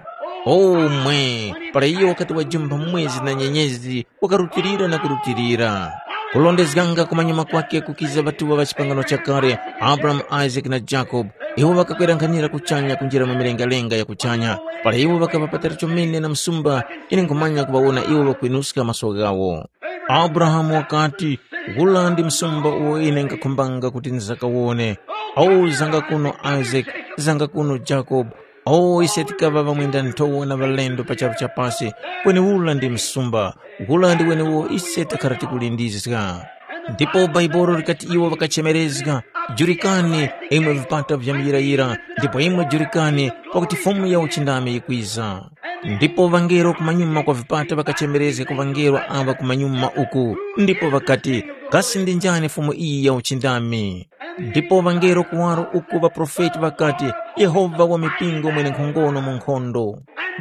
O mwe, para iyo wakati wajumba mwezi na nyenyezi, wakarutilira na kurutilira. Kulondezganga kumanyuma kwake kukiza ŵatuŵa ŵa chipangano chakale, Abrahamu, Isake na Jakobe. Iwo ŵakakwerankhanira kuchanya kunjira mu milengalenga ya kuchanya. Para iwo ŵakaŵa patali chomene na msumba, ine nkhumanya kuŵawona iwo ŵakwinuska maso ghawo. Abrahamu wakati, “Ula ndi msumba uwo ine nkakhumbanga kuti ndizakawone. Awu zanga kuno Isake, zanga kuno Jakobe. Awu ise tikaŵa ŵamwenda nthowa na ŵalendo pa charu cha pasi, kweni ula ndi msumba. Ula ndi weneuwo ise takhara tikulindizga.” Ndipo Baibolo likati iwo ŵakachemerezga, “Jurikani, imwe vipata vya muyirayira, ndipo imwe jurikani, pakuti Fumu ya uchindami yikwiza.” Ndipo ŵangelo kumanyuma kwa vipata ŵakachemerezga ku ŵangelo aŵa kumanyuma uku, ndipo ŵakati, “Kasi ndi njani Fumu iyi ya uchindami?” Ndipo ŵangelo kuwaro uku ŵaprofeti ŵakati, “Yehova wa mipingo mwenenkhongono mu nkhondo.”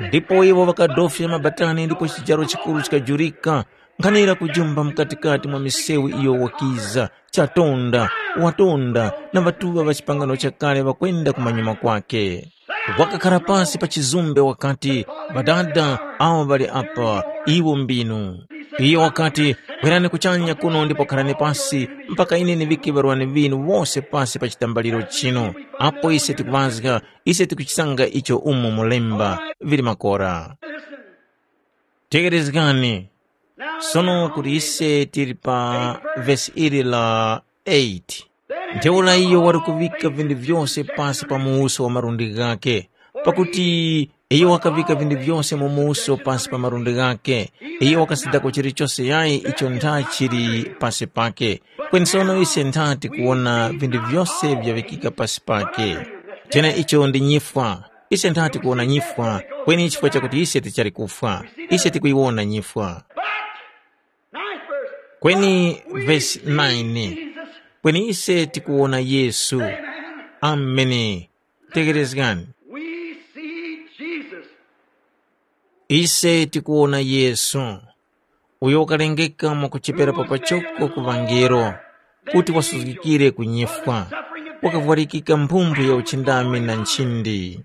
Ndipo iwo ŵakadofya mabatani ndipo chijaro chikuru chikajurika, nkhanira kujumba mukatikati mwa misewu iyo wakiza, chatonda, watonda, na ŵatuŵa ŵa chipangano chakale ŵakwenda kumanyuma kwake. Wakakhara pasi pa chizumbe wakati, “Ŵadada awo ŵali apa, iwo mbinu.” Iyo wakati, “Kwerani kuchanya kuno ndipo kharani pasi, mpaka ine ndiŵike ŵarwani ŵinu wose pasi pa chitambaliro chinu. Apo ise tikuŵazga, ise tikuchisanga icho umo mulemba vili makora.” Tekerezgani, sono kuti ise tili pa vesi ili la eight. Ntheura iyo wali kuŵika vinthu vyose pasi pa muwuso wa malundi ghakhe, pakuti iyo wakaŵika vinthu vyose mu muwuso pasi pa malundi ghakhe. Iyo wakasindako chilichose yayi icho ntha chili pasi pake. Kweni sono ise ntha tikuwona vinthu vyose vyaŵikika pasi pake. Cheneicho ndi nyifwa. Ise ntha tikuwona nyifwa, kweni chifukwa chakuti ise tichali kufwa, ise tikuyiwona nyifwa. Ninth verse. Kweni vesi nine, kweni ise tikuwona Yesu. Ameni. Tekerezgani. We see Jesus. Ise tikuwona Yesu, uyo wakalengeka mwakuchepera pa pachoko ku ŵangelo, kuti wasuzgikire ku nyifwa, wakavwarikika mphumphu ya uchindami na nchindi.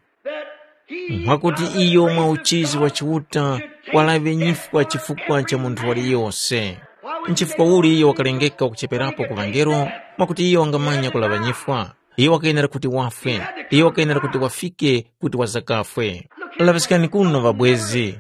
Mwakuti iyo mwa uchizi wa Chiuta walaŵe nyifwa chifukwa cha munthu waliyose. Nchifukwa uli iyo wakalengeka kucheperapo ku ŵangelo? Mwakuti iyo wangamanya kulaŵa nyifwa. Iyo wakayenera kuti wafwe. Iyo wakayenera kuti wafike kuti wazakafwe. Laŵiskani kuno ŵabwezi.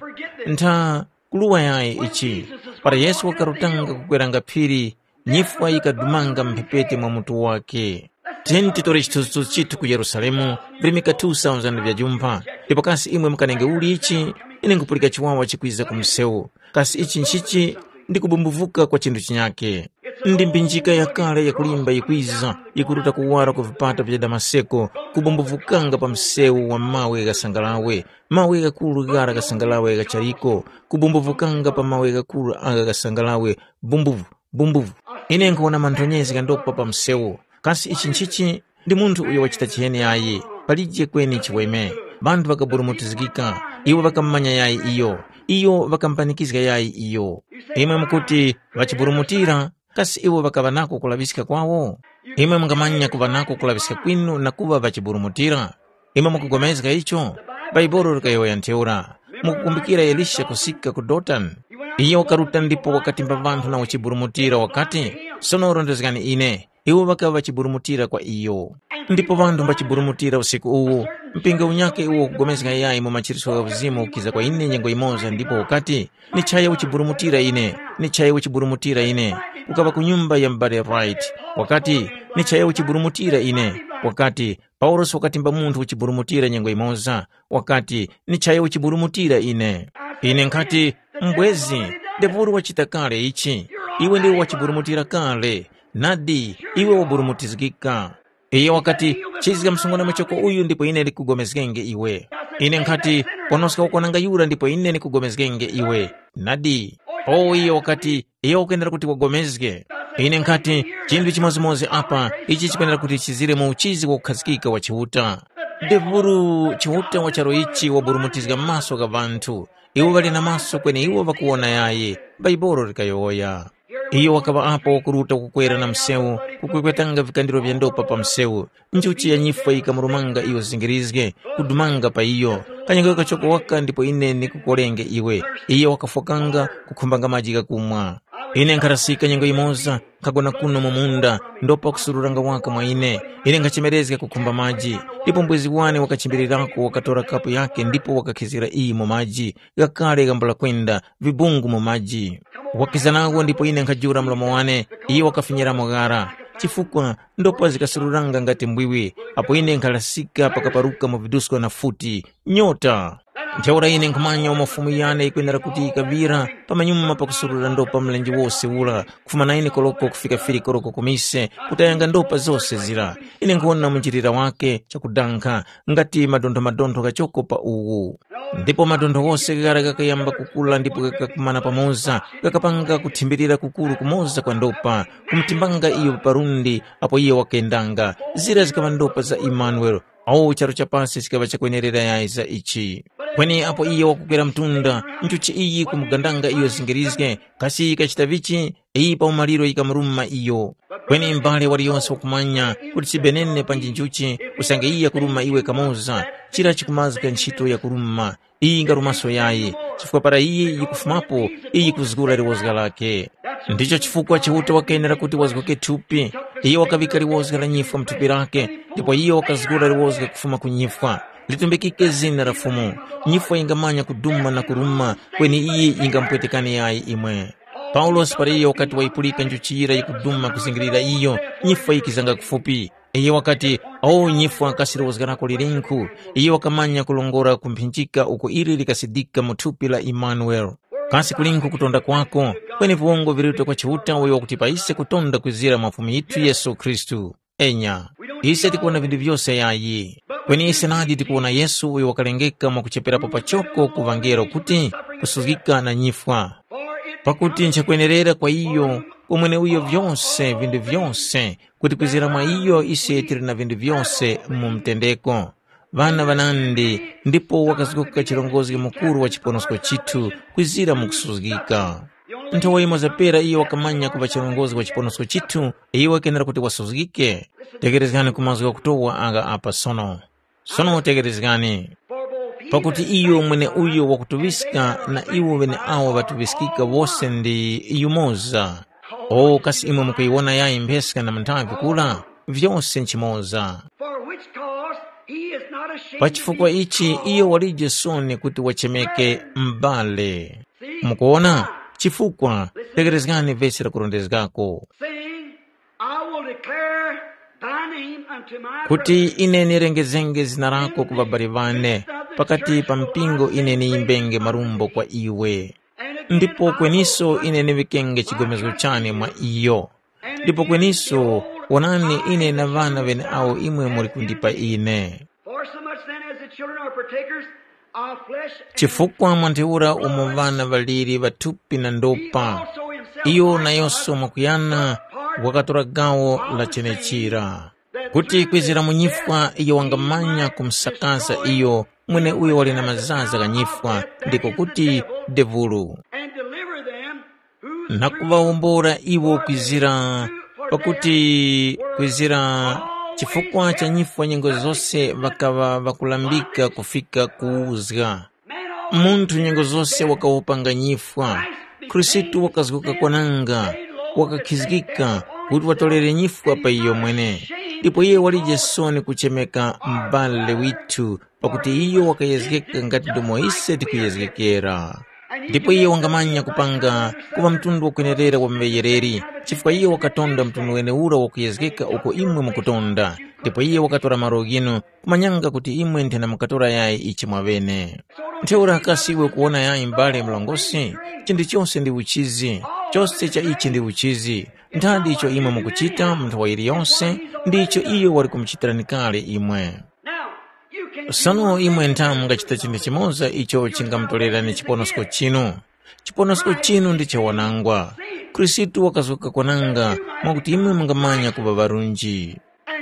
Ntha kuluŵa yayi ichi. Para Yesu wakarutanga kukweranga phiri, nyifwa yikadumanga mphepete mwa mutu wakhe. Tiyeni titore chithunzithunzi chithu ku Yerusalemu, virimika two thousand vya jumpha, ndipo kasi imwe mukanenge uli ichi? Ine nkupulika chiwawa chikwiza ku msewu. Kasi ichi nchichi? Ndi kubumbuvuka kwa chinthu chinyakhe. Ndi mbinjika yakale yakulimba yikwiza, yikuruta kuwara ku vipata vya Damaseko, kubumbuvukanga pa msewu wa mawe ghasangalawe, mawe ghakuru ghara ghasangalawe ghachaliko, kubumbuvukanga pa mawe ghakuru agha ghasangalawe, bumbuvu, bumbuvu. Ine nkhuwona manthonyezi ghandopa pa msewu. Kasi ichi nchichi? Ndi munthu uyo wachita chiheni yayi, palije kweni chiweme. Ŵanthu ŵakaburumutizgika, iwo ŵakamumanya yayi iyo, iyo ŵakamupanikizga yayi iyo. Imwe mukuti, ŵachiburumutira, kasi iwo ŵakaŵa nako kulaŵiska kwawo? Imwe mungamanya kuŵa nako kulaŵiska kwinu na kuŵa ŵachiburumutira? Imwe mukupulikana icho? Bhaibuli likayowoya ntheura. Mukukumbukira Elisha kusika ku Dotani? Iyo wakaruta ndipo wakatimba ŵanthu na uchiburumutira wakati, “Sono rondezgani ine.” Iwo ŵakaŵa ŵachiburumutira kwa iyo. Ndipo ŵanthu mbachiburumutira usiku uwu, mpingo unyakhe uwo ukugomezga yayi mu machiritso gha uzimu ukiza kwa ine nyengo yimoza ndipo ukati, “Nichaye uchiburumutira ine, nichaye uchiburumutira ine.” Ukaŵa ku nyumba ya m'bale Wright, wakati, “Nichaye uchiburumutira ine.” Wakati, Paulosi wakatimba munthu uchiburumutira nyengo yimoza, wakati, “Nichaye uchiburumutira ine.” Ine nkhati, “Mbwezi, ndepouli wachita kale ichi. Iwe ndiwe wachiburumutira kale. Nadi, iwe waburumutizgika.” Iyo wakati, “Chizga msungwana muchoko uyu ndipo ine ndikugomezgenge iwe.” Ine nkhati, “Ponoska ukwananga yura ndipo ine ndikugomezgenge iwe.” Nadi. O iyo wakati, “Iyo ukwenera kuti wagomezge.” Ine nkhati, “Chinthu chimodzimodzi apa, ichi chikwenera kuti chizire mu uchizi wakukhazikika wa Chiuta.” Devulu Chiuta wa charu ichi waburumutizga maso gha ŵanthu. Iwo ŵali na maso kweni iwo ŵakuwona yayi, Bhaibuli likayowoya. Iyo wakaŵa apo wakuruta kukwera na msewu, kukwekwetanga vikandiro vya ndopa pa msewu. Njuchi ya nyifwa yikamurumanga iyo zingirizge, kudumanga pa iyo. Kanyakhe kachoko waka ndipo ine ndikukolenge iwe. Iyo wakafwakanga, kukhumbanga maji ghakumwa. Ine nkharasika nyengo yimoza, nkhagona kuno mu munda, ndopa kusururanga waka mwa ine. Ine nkhachemerezga kukhumba maji, ndipo mbwezi wane wakachimbirirako wakatora kapu yake ndipo wakakhizgira iyi mu maji, ghakale ghambula kwenda, vibungu mu maji. Wakiza nawo ndipo ine nkhajula mlomo wane, iyo wakafinyiramo ghara. Chifukwa ndopa zikasururanga ngati mbwiwi, apo ine nkhalasika pakaparuka mu vidusko na futi, nyota. Ntheura ine nkhumanya umo Fumu yane yikwenera kuti yikaŵira pamanyuma pakusurura ndopa mlenje wose ura, kufuma naine koloko kufika fili koloko ku mise, kutayanga ndopa zose zira. Ine nkhuwona munjilira wake chakudankha, ngati madonthomadontho ghachoko pa uwu. Ndipo madontho ghose ghara ghakayamba kukula ndipo ghakakumana pamoza, ghakapanga kuthimbirira kukuru kumoza kwa ndopa, kumutimbanga iyo pa lundi apo iyo wakendanga. Zira zikaŵa ndopa za Imanuele, awo charu cha pasi chikaŵa chakwenerera yayi za ichi. Kweni apo iyo wakukwera mtunda, nchuchi iyi kumugandanga iyo zingirizge, kasi yikachita vichi? Iyi pa umaliro yikamuruma iyo. Kweni mbale waliyose wakumanya kuti si benene panji nchuchi, usange iye yakuruma iwe kamoza, chira chikumazga ntchito yakuruma. Iyi ngarumaso yayi, chifukwa para iyi yikufumapo, iyi yikuzgura liwozga lake. Ndicho chifukwa Chiuta wakenera kuti wazgoke thupi. Iye wakaŵika liwozga la nyifwa mu thupi lake, ndipo iye wakazgura liwozga kufuma ku nyifwa. Litumbikike zina la Fumu. Nyifwa yingamanya kuduma na kuruma, kweni iyi yingamupwetekani yayi imwe. Paulosi para iyo wakati wayipulika njuchi yira yikuduma kuzingirira iyo, nyifwa yikizanga kufupi. Iyo wakati, “O nyifwa, kasi lowozga lako lilinkhu?” Iyo wakamanya kulongora ku mphinjika uko ili likasidika mu thupi la Imanuele. Kasi kulinkhu kutonda kwako? Kweni viwongo viruta kwa Chiuta uyo wakutipa ise kutonda kwizira mwa Fumu yithu Yesu Khristu. Enya, ise tikuwona vinthu vyose yayi. Kweni ise nadi tikuwona Yesu uyo wakalengeka mwakucheperapo pachoko ku ŵangelo kuti kusuzgika na nyifwa. Pakuti nchakwenerera kwa iyo, kwa mweneuyo vyose vinthu vyose, kuti kwizira mwa iyo ise tili na vinthu vyose mu mtendeko. Ŵana ŵanandi, ndipo wakazgoka chirongozgi mukuru wa chiponosko chithu kwizira mu kusuzgika. Nthowa yimoza pera iyo wakamanya kuŵa chirongozgi wa chiponosko chithu, iyo wakenera kuti wasuzgike. Tekerezgani ku mazgu ghakutowa agha apa sono. Sono tekerezgani. Pakuti iyo mweneuyo wakutuŵiska na iwo ŵeneawo ŵatuŵiskika wose ndi yumoza. O kasi imwe mukuyiwona yayi mpheska na munthavi kura? Vyose nchimoza. For which cause he is not ashamed. Pa chifukwa ichi iyo walije soni kuti wachemeke m'bale. Mukuona? Chifukwa, tekerezgani vesi lakurondezgako. Saying, I will declare thy name unto my kuti brethren. Ine nirengezenge zina lako ku babali bane pakati pa mpingo ine niyimbenge marumbo kwa iwe. Ndipo kweniso ine niŵikenge chigomezgo chane mwa iyo. Ndipo kweniso, wonani, ine na ŵana ŵeneawo imwe muli kundipa ine. For so much then as the children are partakers of flesh and chifukwa mwa ntheura umo ŵana ŵaliri ŵa thupi na ndopa, iyo nayonso mwakuyana wakatora gawo la chenechira, kuti kwizira mu nyifwa iyo wangamanya kumsakaza iyo mweneuyo wali na mazaza gha nyifwa, ndiko kuti devulu. And deliver them who na kuŵawombora iwo kwizira, pakuti kwizira chifukwa cha nyifwa nyengo zose ŵakaŵa ŵakulambika kufika kuwuzga. Munthu nyengo zose wakawopanga nyifwa. Khristu wakazguka kwananga, wakakhizgika kuti watolere nyifwa pa iyo mwene. Ndipo iye walije soni kuchemeka m'bale withu, pakuti iyo wakayezgeka ngati ndomo ise tikuyezgekera. Ndipo iyo wangamanya kupanga kuŵa mtundu wakwenerera wa ŵayereri, chifukwa iyo wakatonda mtundu wenewura wakuyezgeka uko imwe mukutonda. Ndipo iyo wakatora malo ghinu, kumanyanga kuti imwe nthena mukatora yayi ichi mwaŵene. Ntheura kasi iwe ukuwona yayi m'bale mlongosi? Chinthu chose ndi uchizi, chose cha ichi ndi uchizi. Nthavi icho imwe mukuchita mu nthawi yiliyonse, ndicho iyo wali kumuchitirani kale imwe. Sono imwe ntha mungachita chinthu chimoza icho chingamutorerani chiponosko chinu. Chiponosko chinu ndi chawanangwa. Khristu wakazgoka kwananga mwakuti imwe mungamanya kuŵa ŵarunji.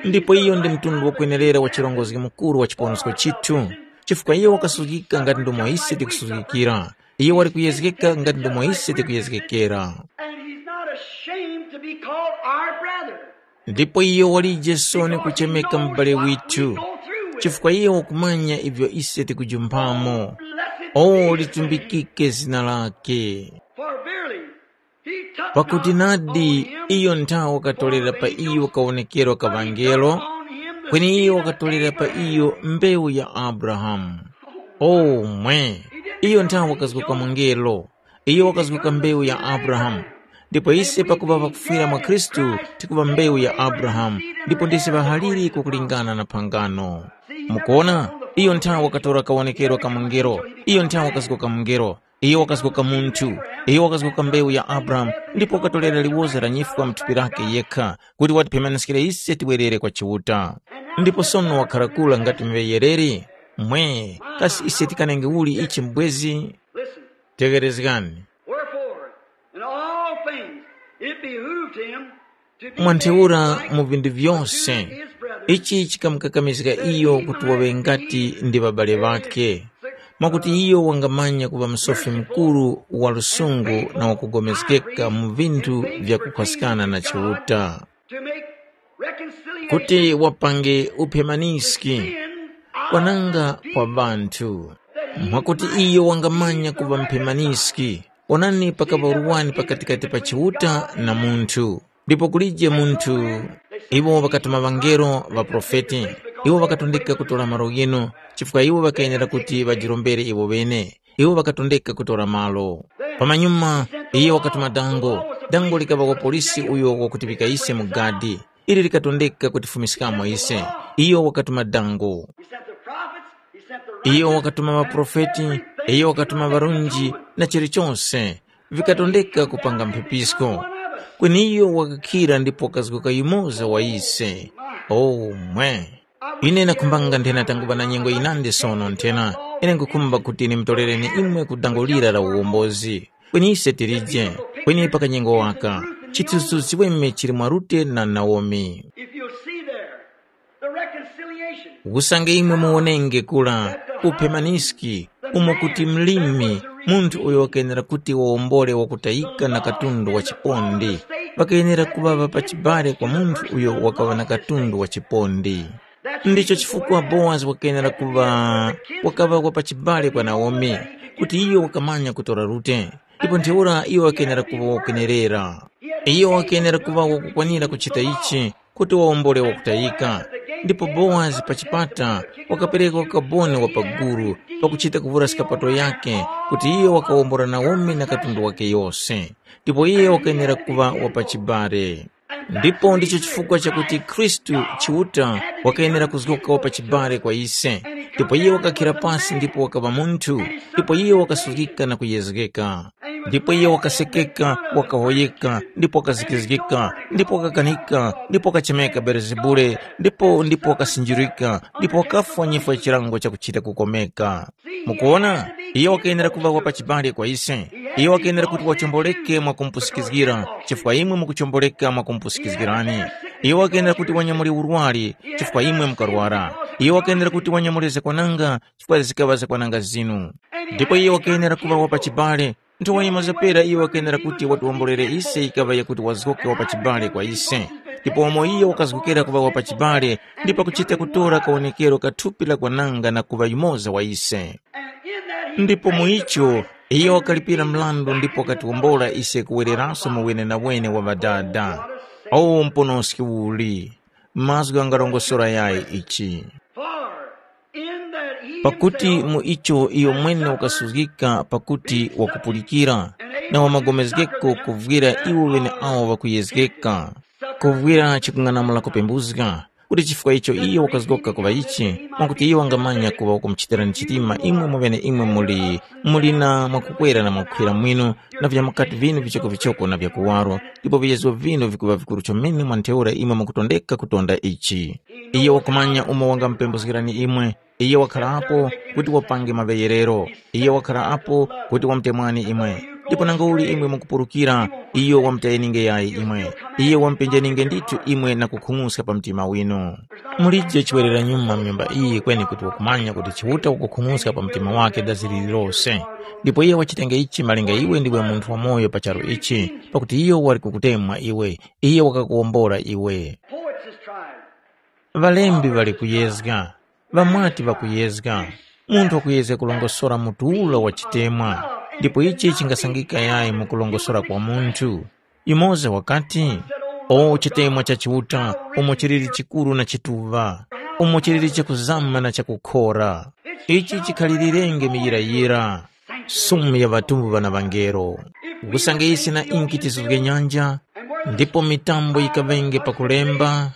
Ndipo iyo ndi mtundu wakwenerera wa chirongozgi mukuru wa chiponosko chithu, chifukwa iyo wakasuzgika ngati ndomo ise tikusuzgikira. Iyo wali kuyezgeka ngati ndomo ise tikuyezgekera. And he's not ashamed to be called our brother. Ndipo iyo walije soni kuchemeka m'bale withu, chifukwa iyo wakumanya ivyo ise tikujumpamo. O litumbikike zina lake. For verily, he took pakuti not nadi on him iyo nthawi wakatolera pa iyo kawonekero ka ŵangelo, kweni iyo wakatolera pa iyo mbewu ya Abrahamu. O mwe, iyo nthawi wakazguka mungelo, iyo wakazguka mbewu ya Abrahamu. Ndipo ise pakuŵa ŵakufwira mwa Khristu, tikuŵa mbewu ya Abrahamu, ndipo ndise ŵahaliri kukulingana na phangano. Mukuona? Iyo nthawe wakatora kawonekero ka mungelo. Iyo nthawe wakazgoka mungelo. Iyo wakazgoka munthu. Iyo wakazgoka mbewu ya Abrahamu, ndipo wakatorera liwoza la nyifwa mu thupi lake yekha, kuti watiphemaniskire ise tiwerere kwa Chiuta. Ndipo sono wakhala kura ngati mŵeyereri. Mwe, kasi ise tikanenge uli ichi mbwezi? Listen, Tegherezgani. Wherefore, in all things it behooved him to be mwantheura made like mu vinthu vyose unto his brethren. Ichi chikamukakamizga iyo kuti waŵe ngati ndi ŵabale ŵakhe, mwakuti iyo wangamanya kuŵa msofi mukuru wa lusungu na wakugomezgeka mu vinthu vyakukhwaskana na Chiuta, To make reconciliation kuti wapange uphemaniski kwananga kwa ŵanthu, mwakuti iyo wangamanya kuŵa mphemaniski. Onani, pakaŵa urwani pakatikati pa Chiuta na munthu, ndipo kulije munthu. Iwo ŵakatuma ŵangelo, ŵaprofeti. Iwo ŵakatondeka kutora malo ghinu, chifukwa iwo ŵakayenera kuti ŵajirombere iwo ŵene. Iwo ŵakatondeka kutora malo. Pamanyuma, iyo wakatuma dango. Dango likaŵa kwa polisi uyo wakutiŵika ise mu gadi. Ili likatondeka kutifumiskamo ise. Iyo wakatuma dango. He sent the prophets, he sent the iyo righteous, wakatuma ŵaprofeti. Iyo wakatuma ŵarunji na chilichonse, vikatondeka kupanga mphepisko. Kweni iyo wakakhira ndipo wakazgoka yumoza wa ise. Oh, mwe! Ine ndakhumbanga nthena tanguŵa na nyengo yinandi sono nthena. Ine nkhukhumba kuti ndimutorereni imwe ku dango lira la uwombozi. Kweni ise tilije, kweni pa kanyengo waka, chithunzithunzi chiweme chili mwa Rute na Naomi. If you'll see there, the reconciliation. Usange imwe muwonenge kula, uphemaniski, umo kuti mlimi, munthu uyo wakenera kuti wawombole wakutayika na katundu wa chipondi, ŵakayenera kuŵaŵa pa chibale kwa munthu uyo wakaŵa na katundu wa chipondi. Ndicho chifukwa Bowazi wakenera kuŵa, wakaŵa wa pachibale kwa Naomi, kuti iyo wakamanya kutora Rute. Ndipo ntheura iyo wakenera kuŵa wakwenerera. Iyo wakenera kuŵa wakukwanira kuchita ichi, kuti wawombole wakutayika. Ndipo Bowazi pa chipata wakapereka ukaboni wa paguru pakuchita kuvura skapato yake, kuti iyo wakawombora Naomi na katundu wake yose. Ndipo iye wakenera kuŵa wa pachibale. Ndipo ndicho chifukwa chakuti Khristu Chiuta wakayenera kuzgoka wa pachibale kwa ise. Ndipo iye wakakhira pasi ndipo wakaŵa munthu, ndipo iye wakasuzgika na kuyezgeka. Ndipo iye wakasekeka, wakahoyeka, ndipo wakazikizgika, ndipo wakakanika, ndipo wakachemeka Belezebule, ndipo ndipo wakasinjirika, ndipo wakafwa nyifwa ya chilango chakuchita kukomeka. Mukuona, iye wakayenera kuŵa wa pachibale kwa ise. Iye wakayenera kuti wachomboleke mwa kumupusikizgira, chifukwa imwe mukuchomboleka mwa kumupusikizgirani. Iye wakayenera kuti wanyamule urwari, chifukwa imwe mukarwara. Iye wakayenera kuti wanyamule zakwananga, chifukwa zikaŵa zakwananga zinu. Ndipo iye wakayenera kuŵa wa pachibale. Nthowa yimazapera iye wakayenera kuti watiwombolere ise yikaŵa yakuti wazgoka wa pachibale kwa ise. Ndipo umo iye wakazgokera kuŵa wa pachibale, ndipo kuchita kutora kawonekero ka thupi la kwananga na kuŵa yumoza wa ise. Ndipo mu icho, iyo wakalipira mrandu ndipo wakatiwombola ise kuwereranso mu wenenawene wa Ŵadada. O mponoski uli! Mazgu ghangarongosora yayi ichi. For in that he Pakuti himself mu icho iyo mwene wakasuzgika pakuti wakupulikira, na wamagomezgeko kuvwira iwo ŵeneawo ŵakuyezgeka, kuvwira chikung'anamula kupembuzga, kuti chifukwa icho iyo wakazgoka kuŵa ichi, mwakuti iyo wangamanya kuŵa wakumuchitirani chitima imwe mweneimwe muli, muli na mwakukwera na mwakukhwira mwinu, na vya mukati vinu vichokovichoko na vya kuwaro, ndipo viyezgo vinu vikuŵa vikuru chomene mwa ntheura imwe mukutondeka kutonda ichi. Iyo wakumanya umo wangamupembuzgirani imwe, iyo wakharapo kuti wapange maŵeyerero, iyo wakharapo kuti wamutemwani imwe. Ndipo nangauli imwe mukupurukira, iyo wamutayeninge yayi imwe. Iyo wamupenjeninge ndithu imwe na kukhung'uska pa mtima winu. Mulije chiwereranyuma mu nyumba iyi kweni kuti wakumanya kuti Chiuta wakukhung'uska pa mtima wake dazi lililose. Ndipo iye wachitenge ichi malinga iwe ndiwe munthu wamoyo pa charu ichi, pakuti iyo wali kukutemwa iwe, iye wakakuwombora iwe. Poets is tried. Ŵalembi ŵali kuyezga, ŵamwati ŵakuyezga, munthu wakuyezga kulongosora mutu ura wa chitemwa, ndipo ichi chingasangika yayi mu kulongosora kwa munthu. Yumoza wakati, “O chitemwa cha Chiuta, umo chiliri chikuru na chituŵa, umo chiliri chakuzama na chakukhora, ichi chikhalilirenge miyirayira, sumu ya ŵatumbu ŵana ŵangelo. Usange ise na inki tizuzge nyanja, ndipo mitambo yikaŵenge pakulemba,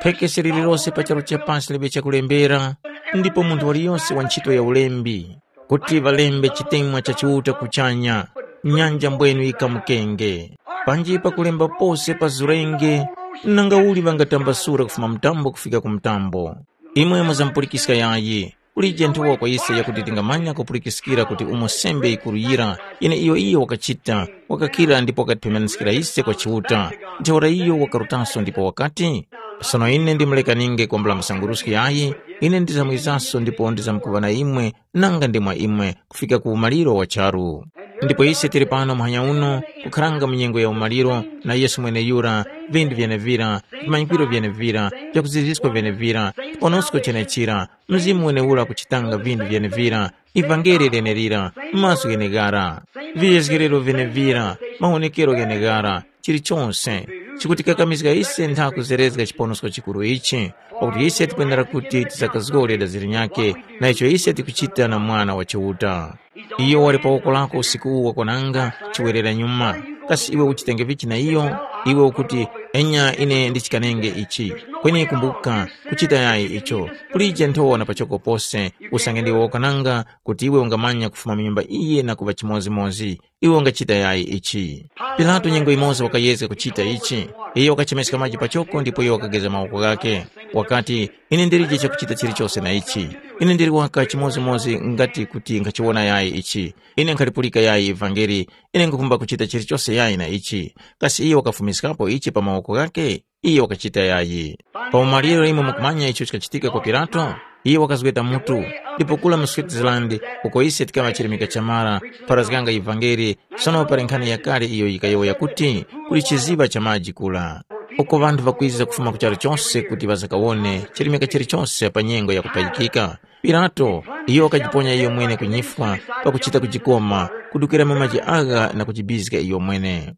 phekese lililose pa charu cha pasi liŵe chakulembera, ndipo munthu waliyose wa ntchito ya ulembi, kuti ŵalembe chitemwa cha Chiuta kuchanya, nyanja mbwenu yikamukenge. Panji pakulemba pose pa zulenge, nanga uli ŵangatambasura kufuma mtambo kufika ku mtambo? Imwe muzamupulikiska yayi, kulije nthowa kwa ise yakuti tingamanya kupulikiskira kuti umo sembe yikuru yira, yeneiyo iyo wakachita, wakakhira ndipo wakatipemeniskira ise kwa Chiuta. Ntheura iyo wakarutanso ndipo wakati, sono ine ndimulekaninge kwambula msanguruski yayi, ine ndizamwizanso ndipo ndizamkuŵa na imwe nanga ndi mwa imwe kufika ku umaliro wa charu. Ndipo ise tili pano muhanya uno, kukharanga mu nyengo ya umaliro, na Yesu mweneyura, vindu vyenevira, vimanyikiro vyenevira, vyakuziziska vyenevira, chiponosko chenechira, Mzimu wenewura kuchitanga vindu vyenevira, ivangeli lenelira, mazgu gheneghara, viyezgerero vyenevira, mawonekero gheneghara, chilichonse chikutikakamizga ise ntha kuzerezga chiponosko chikuru ichi, pakuti ise tikwenera kuti tisakazgore daziri nyakhe na icho ise tikuchita na Mwana wa Chiuta. Iyo wali pa woko lako usiku uwu wakwananga, chiwerera nyuma. Kasi iwe uchitenge vichi na iyo? Iwe ukuti, enya ine ndichikanenge ichi. Kweni kumbuka, kuchita yayi icho. Kulije nthowa na pachoko pose, usange ndiwe wakwananga kuti iwe ungamanya kufuma mu nyumba iyi na kuŵa chimodzimodzi. Iwe ungachita yayi ichi. Pilato nyengo yimoza wakayezga kuchita ichi. Iyo wakachemeska maji pachoko ndipo iyo wakageza mawoko ghakhe. Wakati, ine ndilije chakuchita chilichose na ichi. Ine ndili waka chimodzimodzi ngati kuti nkhachiwona yayi ichi. Ine nkhalipulika yayi ivangeli. Ine nkhukhumba kuchita chilichose yayi na ichi. Kasi iyo wakafumiskapo ichi pa mawoko ghakhe? Iyo wakachita yayi. Pa umaliro imwe mukumanya icho chikachitika kwa Pilato? Iyo wakazgweta mutu, ndipo kula mu Switzerland, uko ise tikaŵa chirimika cha mara, pharazganga ivangeli, sono pali nkhani yakale iyo yikayowoya kuti, kuli chiziŵa cha maji kula. Uko ŵanthu ŵakwiza kufuma ku charu chose kuti ŵazakawone chirimika chilichose pa nyengo yakupayikika. Pilato, iyo wakajiponya iyomwene ku nyifwa pakuchita kujikoma, kudukira mu maji agha na kujibizga iyomwene.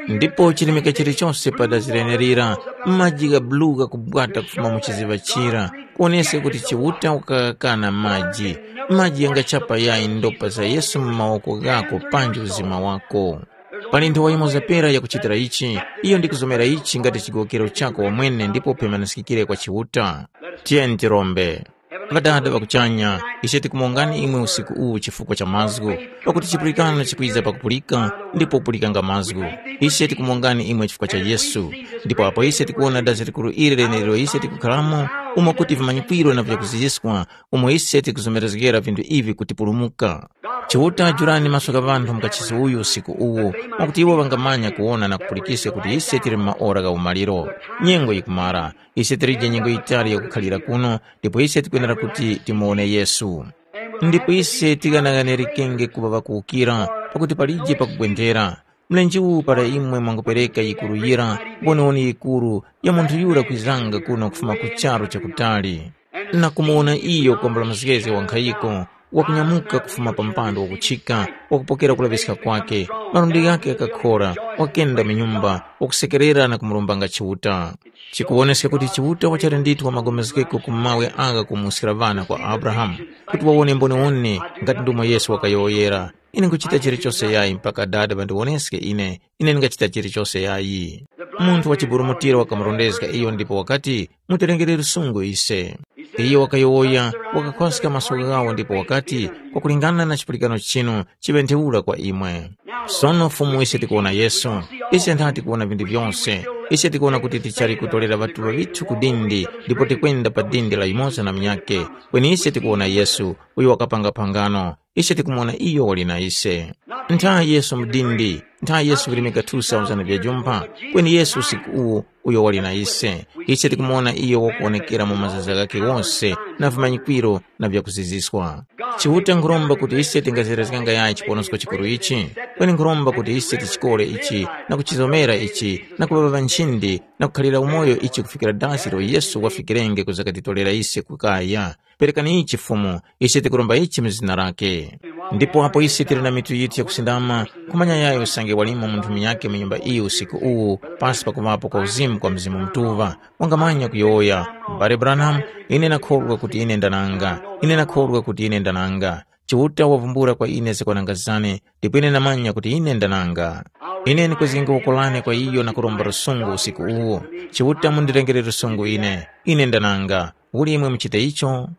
Ndipo chirimika chilichose pa dazi lenelira, maji gha bulu ghakubwata kufuma mu chiziŵa chira, kuwoneska kuti Chiuta wakagakana maji. Maji ghangachapa yayi ndopa za Yesu mu mawoko ghako panji uzima wako. Pali nthowa yimoza pera yakuchitira ichi, iyo ndikuzomera ichi ngati chigowokero chako wamwene ndipo upemaniskikire kwa Chiuta. Tiyeni tirombe. Ŵadada ŵa kuchanya, ise tikumongani imwe usiku uwu chifukwa cha mazgu, pakuti chipulikano chikwiza pakupulika, ndipo upulikanga mazgu. Ise tikumongani imwe chifukwa cha Yesu. Ndipo apo ise tikuwona dazi likuru ili leneliro ise tikukharamo, umo kuti vimanyikwiro na vyakuziziskwa, umo ise tikuzomerezgera vinthu ivi kutipulumuka. Chiuta jurani maso gha ŵanthu mu kachisi uyu usiku uwu, mwakuti iwo ŵangamanya kuwona na kupulikiska kuti ise tili mu maora gha umaliro. Nyengo yikumara, ise tilije nyengo yitali yakukhalira kuno, ndipo ise tikwenera kuti timuwone Yesu. Ndipo ise tighanaghanerekenge kuŵa ŵakuwukira, pakuti palije pakugwendera. Mlenje uwu para imwe mwangupereka yikuru yira, mboniwoni yikuru ya munthu yura kwizanga kuno kufuma ku charu chakutali, na kumuwona iyo kwambula mzgezge wa nkhayiko, wakunyamuka kufuma pa mpando wakuchika, wakupokera kulaŵiska kwake, malundi ghakhe ghakakhora, wakenda mu nyumba, wakusekerera na kumurombanga Chiuta. Chikuwoneska kuti Chiuta wachali ndithu wa magomezgeko ku mawe agha kumuwuskira ŵana kwa Abrahamu, kuti wawone mboniwoni ngati ndumo Yesu wakayowoyera, ine nkuchita chilichose yayi mpaka Dada ŵandiwoneske ine, ine ndingachita chilichose yayi. Munthu wa chiburumutiro wakamurondezga iyo ndipo wakati, mutirengere lusungu ise. Iyo wakayowoya, wakakhoska maso ghawo ndipo wakati, kwakulingana na chipulikano chinu, chiŵe ntheura kwa imwe. Sono Fumu ise tikuwona Yesu, ise ntha tikuwona vinthu vyose, ise tikuwona kuti tichali kutolera ŵatuŵa ŵithu ku dindi ndipo tikwenda pa dindi la yumoza na munyakhe, kweni ise tikuwona Yesu, uyo wakapanga phangano, ise tikumuwona iyo wali na ise. Ntha Yesu mdindi, ntha Yesu virimika two thousand vya jumpha, kweni Yesu usiku uwu uyo wali na ise. Ise tikumuwona iyo wakuwonekera mu mazaza ghakhe wose na vimanyikwiro na vyakuziziswa. Chiuta nkhuromba kuti ise tingazerezganga yayi chiponosko chikuru ichi, kweni nkhuromba kuti ise tichikore ichi na kuchizomera ichi na kuŵaŵa nchindi na kukhalira umoyo ichi kufikira dasi ilo Yesu wafikirenge kuza katitolera ise kukaya. Perekani ichi Fumu, ise tikuromba ichi mu zina lake. Ndipo apo ise tili na mitu yithu yakusindama, nkhumanya yayo usange walimo munthu munyakhe mu nyumba iyi usiku uwu, pasi pakuŵapo kwa uzimu kwa Mzimu Mutuŵa, wangamanya kuyowoya, M'bale Branham, ine nakhorwa kuti ine ndananga, ine nakhorwa kuti ine ndananga. Chiuta wavumbula kwa ine zakwananga zane, ndipo ine namanya kuti ine ndananga. Ine ndikwezgenge woko lane kwa iyo na kuromba lusungu usiku uwu. Chiuta mundirengere lusungu ine. Ine ndananga. Uli imwe muchite icho?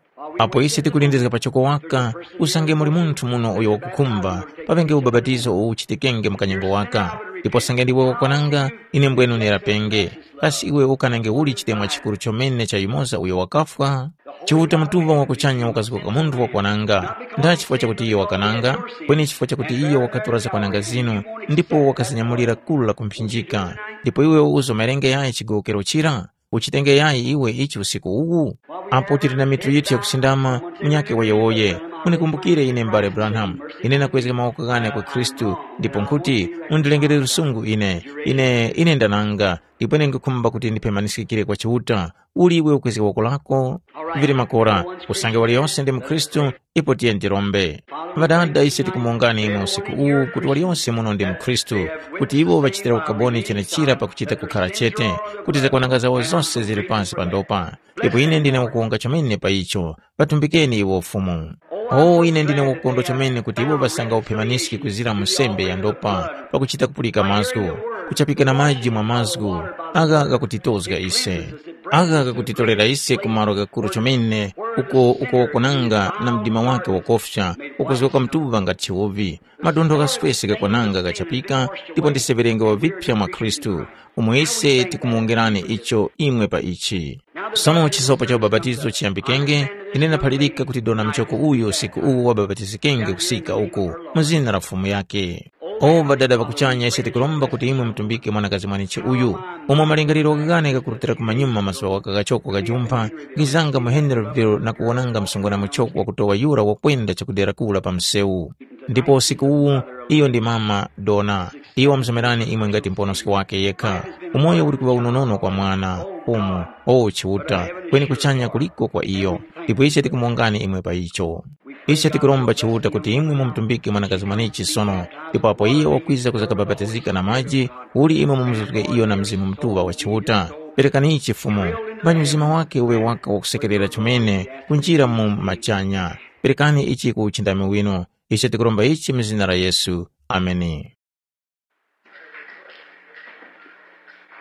Apo ise tikulindizga pachoko waka, usange muli munthu muno uyo wakukhumba, paŵenge ubapatizo uwo uchitikenge mu kanyengo waka. Ndipo usange ndiwe wakwananga, ine mbwenu ndirapenge. Kasi iwe ukanenge uli chitemwa chikuru chomene cha yumoza uyo wakafwa? Chiuta mutuŵa wa kuchanya wakazgoka munthu wakwananga. Ndha chifukwa chakuti iyo wakananga, kweni chifukwa chakuti iyo wakatora zakwananga zinu, ndipo wakazinyamulira kulu la kumphinjika. Ndipo iwe uzo mawerenge yayi chigowokero chira? Uchitenge yayi iwe ichi usiku uwu? Apo tili na mitu yithu yakusindama, munyakhe woyewoye. Munikumbukire ine m'bale Branham, ine nakwezga mawoko ghane kwa Khristu, ndipo nkhuti, mundilengere lusungu ine, ine, ine ndananga, ndipo ine nkukhumba kuti ndipemaniskikire kwa Chiuta. Uli iwe ukwezga woko lako? Vili makora, usange waliyose ndi mukhristu, ipo tiye tirombe. Ŵadada, ise tikumongani imwe usiku uwu kuti waliyose muno ndi mukhristu, kuti iwo ŵachitira ukaboni chenechira pakuchita kukhala chete, kuti zakwananga zawo zose zili pansi pa ndopa. Ndipo ine ndine wakuwonga chomene pa icho. Ŵatumbikeni iwo Fumu. O ine ndine wakukondwa chomene kuti iwo ŵasanga uphemaniski kuzira mu sembe ya ndopa pakuchita kupulika mazgu, kuchapika na maji mwa mazgu, agha ghakutitozga ise. Agha ghakutitorera ise ku malo ghakuru chomene uko uko wakunanga na mdima wake wakofya, ukuzgoka mtuŵa ngati chiwuvi. Madontho ghaswese ghakwananga ghachapika, ndipo ndise ŵerenge wa vipya mwa Khristu, umo ise tikumuwongerani icho imwe pa ichi. Sono chisopo cha ubapatizo chiyambikenge, ine ndaphalirika kuti dona muchoko uyu usiku uwu wabapatizikenge kusika uku, mu zina la Fumu yake. O Ŵadada ŵa kuchanya, ise tikuromba kuti imwe mutumbike mwanakazi mwanechi uyu, umo malingaliro ghane ghakurutira kumanyuma mazuŵa waka ghachoko ghajumpha, ghizanga mu Henryville na kuwonanga msungwana muchoko wakutowa yura wakwenda chakudera kula pa msewu. Ndipo usiku uwu, iyo ndi mama Dona. Iyo wamusomerani imwe ngati muponoski wake yekha. Umoyo uli kuŵa unonono kwa mwana, umu, o Chiuta, kweni kuchanya kuliko kwa iyo. Ndipo ise tikumongani imwe pa icho. Ise tikuromba Chiuta kuti imwe mumutumbike mwanakazi mwanechi sono, ndipo apo iyo wakwiza kuza kabapatizika na maji, uli imwe mumuzuzge iyo na Mzimu Mutuŵa wa Chiuta. Perekani ichi Fumu, mbani mzima wake uŵe waka wakusekerera chomene kunjira mu machanya. Perekani ichi ku uchindami winu. Ise tikuromba ichi mu zina la Yesu. Ameni.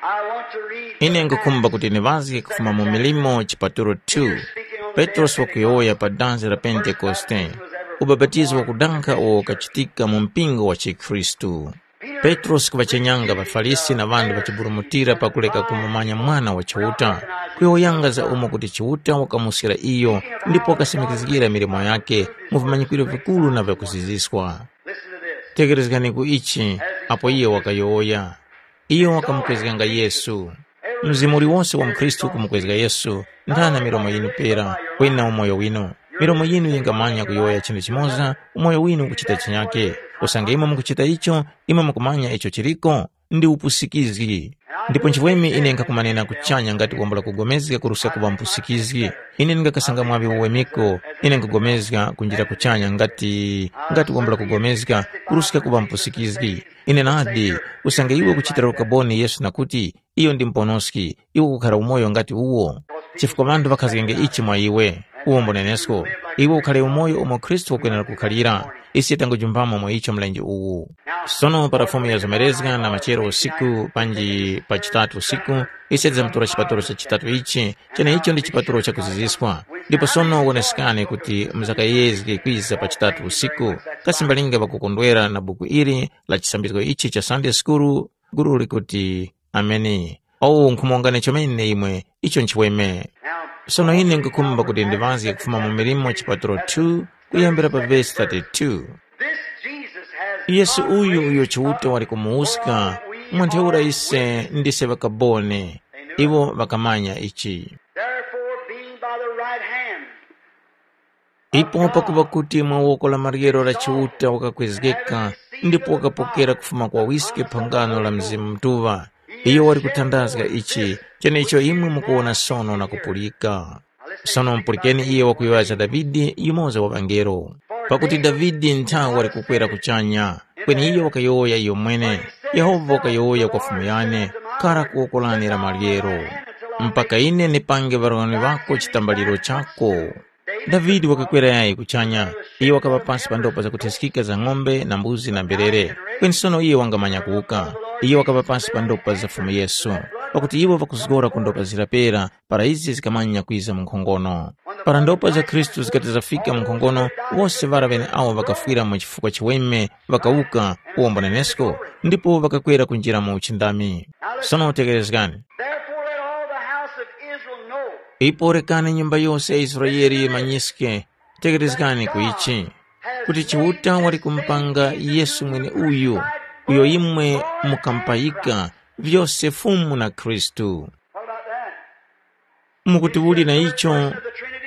I want to read Ine nkukhumba kuti niŵazge kufuma mu Milimo chipatulo two. Petrosi wakuyowoya pa danzi la Pentekoste, ubapatizo wakudankha uwo ukachitika mu mpingo wa chikhristu. Petrosi kuŵachenyanga ŵaFarisi na ŵanthu ŵachiburumutira pakureka kumumanya Mwana wa Chiuta, kuyowoyanga za umo kuti Chiuta wakamuskira iyo ndipo wakasimikizgira milimo yakhe mu vimanyikwiro vikuru na vyakuziziswa. Tekerezgani ku ichi, apo iyo wakayowoya. Iyo wakamukwezganga Yesu. Mzimu uliwose wa mukhristu ukumukwezga Yesu, ndana milomo yinu pera, kweni na umoyo winu. Milomo yinu yingamanya kuyowoya chinthu chimoza, umoyo winu ukuchita chinyake. Usange imwe mukuchita icho, imwe mukumanya icho chiliko, ndi upusikizgi. Ndipo nchifukwa ine ndingakumanena kuchanya ngati wambula kugomezga kuruska kuŵa mpusikizgi. Ine ndingakasanga mwaŵi uwemiko, ine nkugomezga kunjira kuchanya ngati ngati wambula kugomezga kuruska kuŵa mpusikizgi. Ine nadi, usange iwe ukuchitira ukaboni Yesu na kuti, iyo ndi muponoski, iwe ukukhara umoyo ngati uwo. Chifukwa ŵanthu ŵakhazgenge ichi mwa iwe, uwo mbunenesko, iwe ukhare umoyo umo Khristu wakwenera kukhalira. Ise tangujumpamo mwa icho mlenje uwu. Sono para Fumu yazomerezga na machero usiku panji pa chitatu usiku, ise tizamutora chipaturo cha chitatu ichi, cheneicho ndi chipaturo chakuziziswa. Ndipo sono wonesekani kuti muzakayezge kwiza pa chitatu usiku. Kasi mbalinga ŵakukondwera na buku ili la chisambizgo ichi cha Sunday School? Guru likuti, Ameni. Owu nkhumongani chomene imwe, icho nchiweme. Sono ine nkukhumba kuti ndiŵazge kufuma mu Milimo chipatulo two kuyambira pa vesi thirty-two. This Jesus has Yesu uyu uyo Chiuta wali kumuwuska, mwa ntheura ise ndise ŵakaboni, iwo ŵakamanya ichi. Therefore, being by the right hand Ipo pakuŵa kuti mwa woko la maryero la Chiuta wakakwezgeka, ndipo wakapokera kufuma kwa wiske phangano la Mzimu Mutuŵa, iyo wali kuthandazga ichi, chenecho imwe mukuwona sono na kupulika. Sono mupulikeni iye wakuyowoya za Davide, yumoza wa ŵangelo. Pakuti Davide nthawe wali kukwera kuchanya, kweni iyo wakayowoya iyomwene, Yehova wakayowoya kwa Fumu yane, kara ku woko lane la maryero, mpaka ine ndipange ŵarwani ŵako chitambaliro chako. Davide wakakwera yayi kuchanya. Iyo wakaŵa pasi pa ndopa zakuthyeskika za ng'ombe na mbuzi na mberere. Kweni sono iyo wangamanya kuwuka. Iyo wakaŵa pasi pa ndopa za Fumu Yesu. pakuti iwo ŵakuzgora ku ndopa zira pera para izi zikamanya kwiza mu nkhongono. Para ndopa za Khristu zikati zafika mu nkhongono, wose ŵara ŵeneawo ŵakafwira mu chifukwa chiweme ŵakawuka, uwombo nenesko, ndipo ŵakakwera kunjira mu uchindami. Sono tekerezgani. Therefore let all the house of Israel know. Ipo rekani nyumba yose ya Israeli yimanyiske, tekerezgani ku ichi, kuti Chiuta wali kumupanga Yesu mweneuyu, uyo imwe mukampayika, vyose Fumu na Khristu. What about that? Mukuti uli na icho?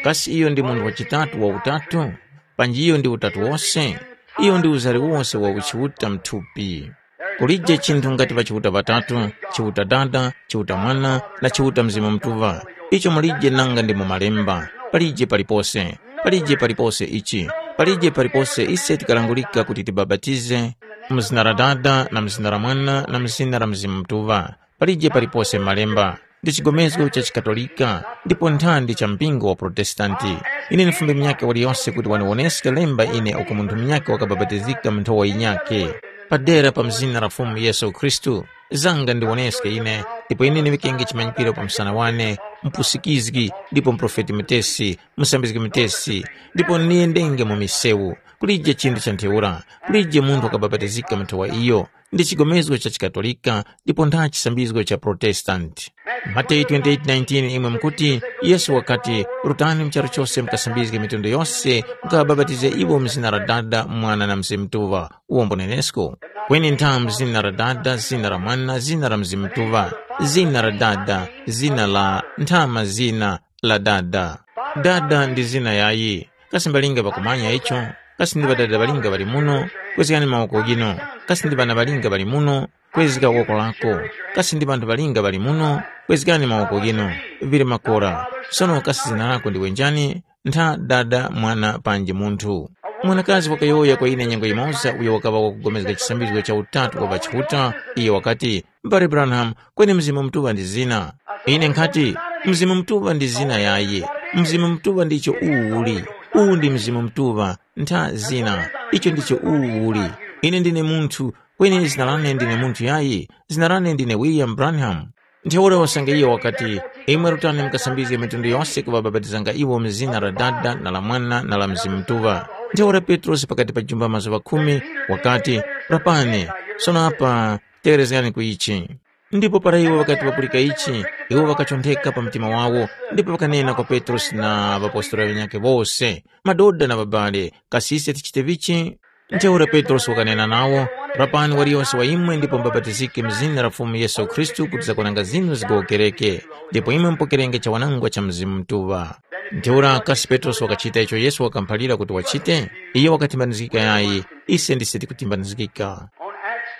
Kasi iyo ndi munthu wachitatu wa utatu? Panji iyo ndi utatu wose? Iyo ndi uzari wose wa uchiuta mthupi. Kulije chinthu ngati pa Chiuta ŵatatu, Chiuta Dada, Chiuta Mwana, na Chiuta Mzimu Mutuŵa. Icho mulije nanga ndi mu Malemba. Palije palipose. Palije palipose ichi. Palije palipose ise tikalangulika kuti tibapatize mu zina la Dada, na mu zina la Mwana, na mu zina la Mzimu Mutuŵa. Palije palipose Malemba. Ndi chigomezgo cha chiKatolika, ndipo nthandi cha mpingo wa Protestanti. Ine ndifumbe munyakhe waliyose kuti waniwoneske lemba ine uko munthu munyakhe wakabapatizika mu nthowa yinyakhe. Padera pa mzina la Fumu Yesu Khristu, zanga ndiwoneske ine, ndipo ine ndiŵikenge chimanyikiro pa msana wane, mpusikizgi, ndipo mprofeti mutesi, musambizgi mutesi, ndipo niyendenge mu misewu. Kulije chinthu cha ntheura, kulije munthu wakabapatizika mu nthowa iyo. Ndi chigomezgo cha chiKatolika, ndipo ntha chisambizgo cha Protestanti. Mateyu twenty-eight nineteen imwe mukuti, Yesu wakati, “Rutani mu charu chose mukasambizge mitundu yose, mukabapatize iwo mu zina la Dada, Mwana na Mzimu Mutuŵa.” Uwombo nenesko. Kweni ntha mu zina la Dada, zina la Mwana, zina la Mzimu Mutuŵa, zina la Dada, zina la nthama zina la Dada. Dada ndi zina yayi. Kasi mbalinga ŵakumanya icho? Kasi ndi ŵadada ŵalinga ŵali muno? Kwezgani mawoko ghinu. Kasi ndi ŵana ŵalinga ŵali muno? Kwezga woko lako. Kasi ndi ŵanthu ŵalinga ŵali muno? Kwezgani mawoko ghinu. Vili makora. Sono kasi zina lako ndiwe njani? Ntha Dada, Mwana panji munthu. Mwanakazi wakayowoya kwa ine nyengo yimoza uyo wakaŵa wakugomezga chisambizgo cha utatu wa ŵachiuta, iyo wakati, M'bale Branham, kweni Mzimu Mutuŵa ndi zina. Ine nkhati, Mzimu Mutuŵa ndi zina yayi. Mzimu Mutuŵa ndicho uwu uli. Uwu ndi Mzimu Mutuŵa, ntha zina. Icho ndicho uwu uli. Ine ndine munthu, kweni zina lane ndine munthu yayi. Zina lane ndine William Branham. Ntheura usange iyo wakati, imwe rutani mukasambizge mitundu yose kuŵabapatizanga iwo mu zina la Dada na la Mwana na la Mzimu Mutuŵa. Ntheura Petrosi pakati pa jumba mazuŵa khumi wakati, rapani, sono apa tegherezgani ku ichi. Ndipo para iwo ŵakati ŵapulika ichi, iwo ŵakachontheka pa mtima wawo, ndipo ŵakanena kwa Petrosi na ŵapostora ŵanyakhe wose, madoda na ŵabale, kasi ise tichite vichi? Ntheura Petrosi wakanena nawo, rapani waliyose wa imwe ndipo mubapatizike mu zina la Fumu Yesu Khristu kuti zakwananga zinu zigowokereke, ndipo imwe mupokerenge chawanangwa cha Mzimu Mutuŵa. Ntheura kasi Petrosi wakachita icho Yesu wakamuphalira kuti wachite? Iyo wakatimbanizgika yayi, ise ndise tikutimbanizgika.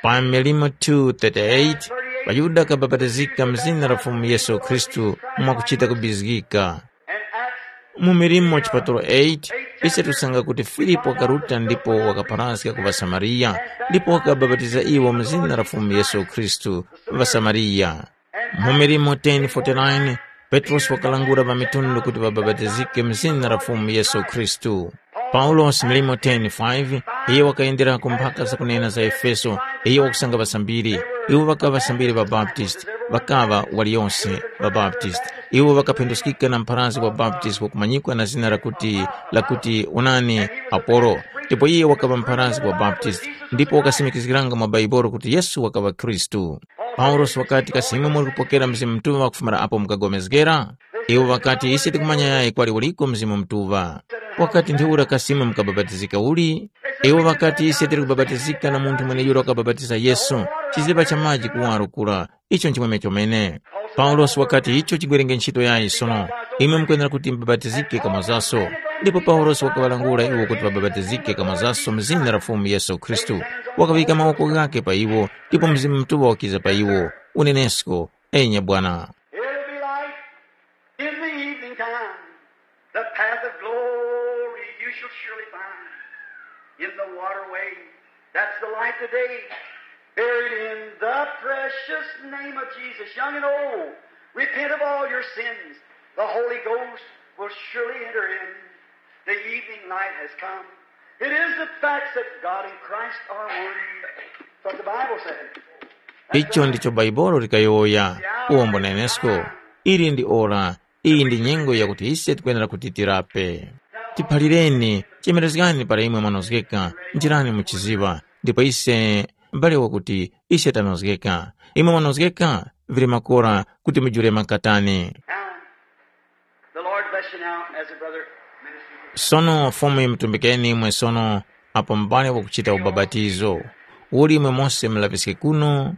Pa Milimo two thirty-eight, ŵaYuda ŵakabapatizika mu zina la Fumu Yesu Khristu mwakuchita kubizgika. Mu Milimo chipatulo eight, ise tusanga kuti Filipo wakaruta ndipo wakapharazga ku ŵaSamariya, ndipo wakabapatiza iwo mu zina la Fumu Yesu Khristu, ŵaSamariya. Mu Milimo ten forty-nine, Petrosi wakalangula ŵamitundu kuti ŵabapatizike mu zina la Fumu Yesu Khristu. Paulosi Milimo ten five, iye wakayenderako mpaka zakunena za Efeso, iye wakusanga ŵasambiri. Iwo ŵakaŵa ŵasambiri ŵa Baptist, ŵakaŵa waliyose ŵa Baptist. Iwo ŵakaphenduskika na mpharazgi wa Baptist wakumanyikwa na zina lakuti, lakuti Unani Apolo. Ndipo iye wakaŵa mpharazgi wa Baptist, ndipo wakasimikizgiranga mwa Baibolo kuti Yesu wakaŵa Khristu. Paulosi wakati, kasi imwe muli kupokera Mzimu Mutuŵa kufumira apo mukagomezgera? Iwo ŵakati, ise tikumanya yayi kwali uliko Mzimu Mutuŵa. Wakati, ntheura kasi imwe mukabapatizika uli? Iwo ŵakati, ise tili kubapatizika na munthu mweneyura wakabapatiza Yesu, chiziŵa cha maji kuwaro kura. Icho nchimwemwe chomene. Paulosi wakati, icho chigwerenge ntchito yayi sono. Imwe mukwenera kuti mubapatizike kamozaso. Ndipo Paulosi wakaŵalangula iwo kuti ŵabapatizike kamozaso mu zina la Fumu Yesu Khristu. Wakaŵika mawoko ghakhe pa iwo, ndipo Mzimu Mutuŵa wakiza pa iwo. Unenesko, enya bwana. It'll be light in the evening time. The path of glory you shall surely find. In the waterway, that's the light today. Buried in the precious name of Jesus, young and old, repent of all your sins. The Holy Ghost will surely enter in. The evening light has come. It is the facts that God and Christ are one. That's what the Bible says. Icho ndicho Bhaibuli likayowoya. Uwombo na Yenesko, ili ndi ora, iyi ndi nyengo yakuti ise tikwenera kuti tirape. Tiphalireni, chemerezgani para imwe mwanozgeka, njirani muchiziŵa, ndipo ise mbale wakuti ise tanozgeka. Imwe mwanozgeka, vili makora kuti mujule makatani. Now, the Lord bless you now as a brother minister. Sono Fumu yimutumbikeni imwe sono apo mbale wakuchita ubabatizo. Uli imwe mose mulapiske kuno,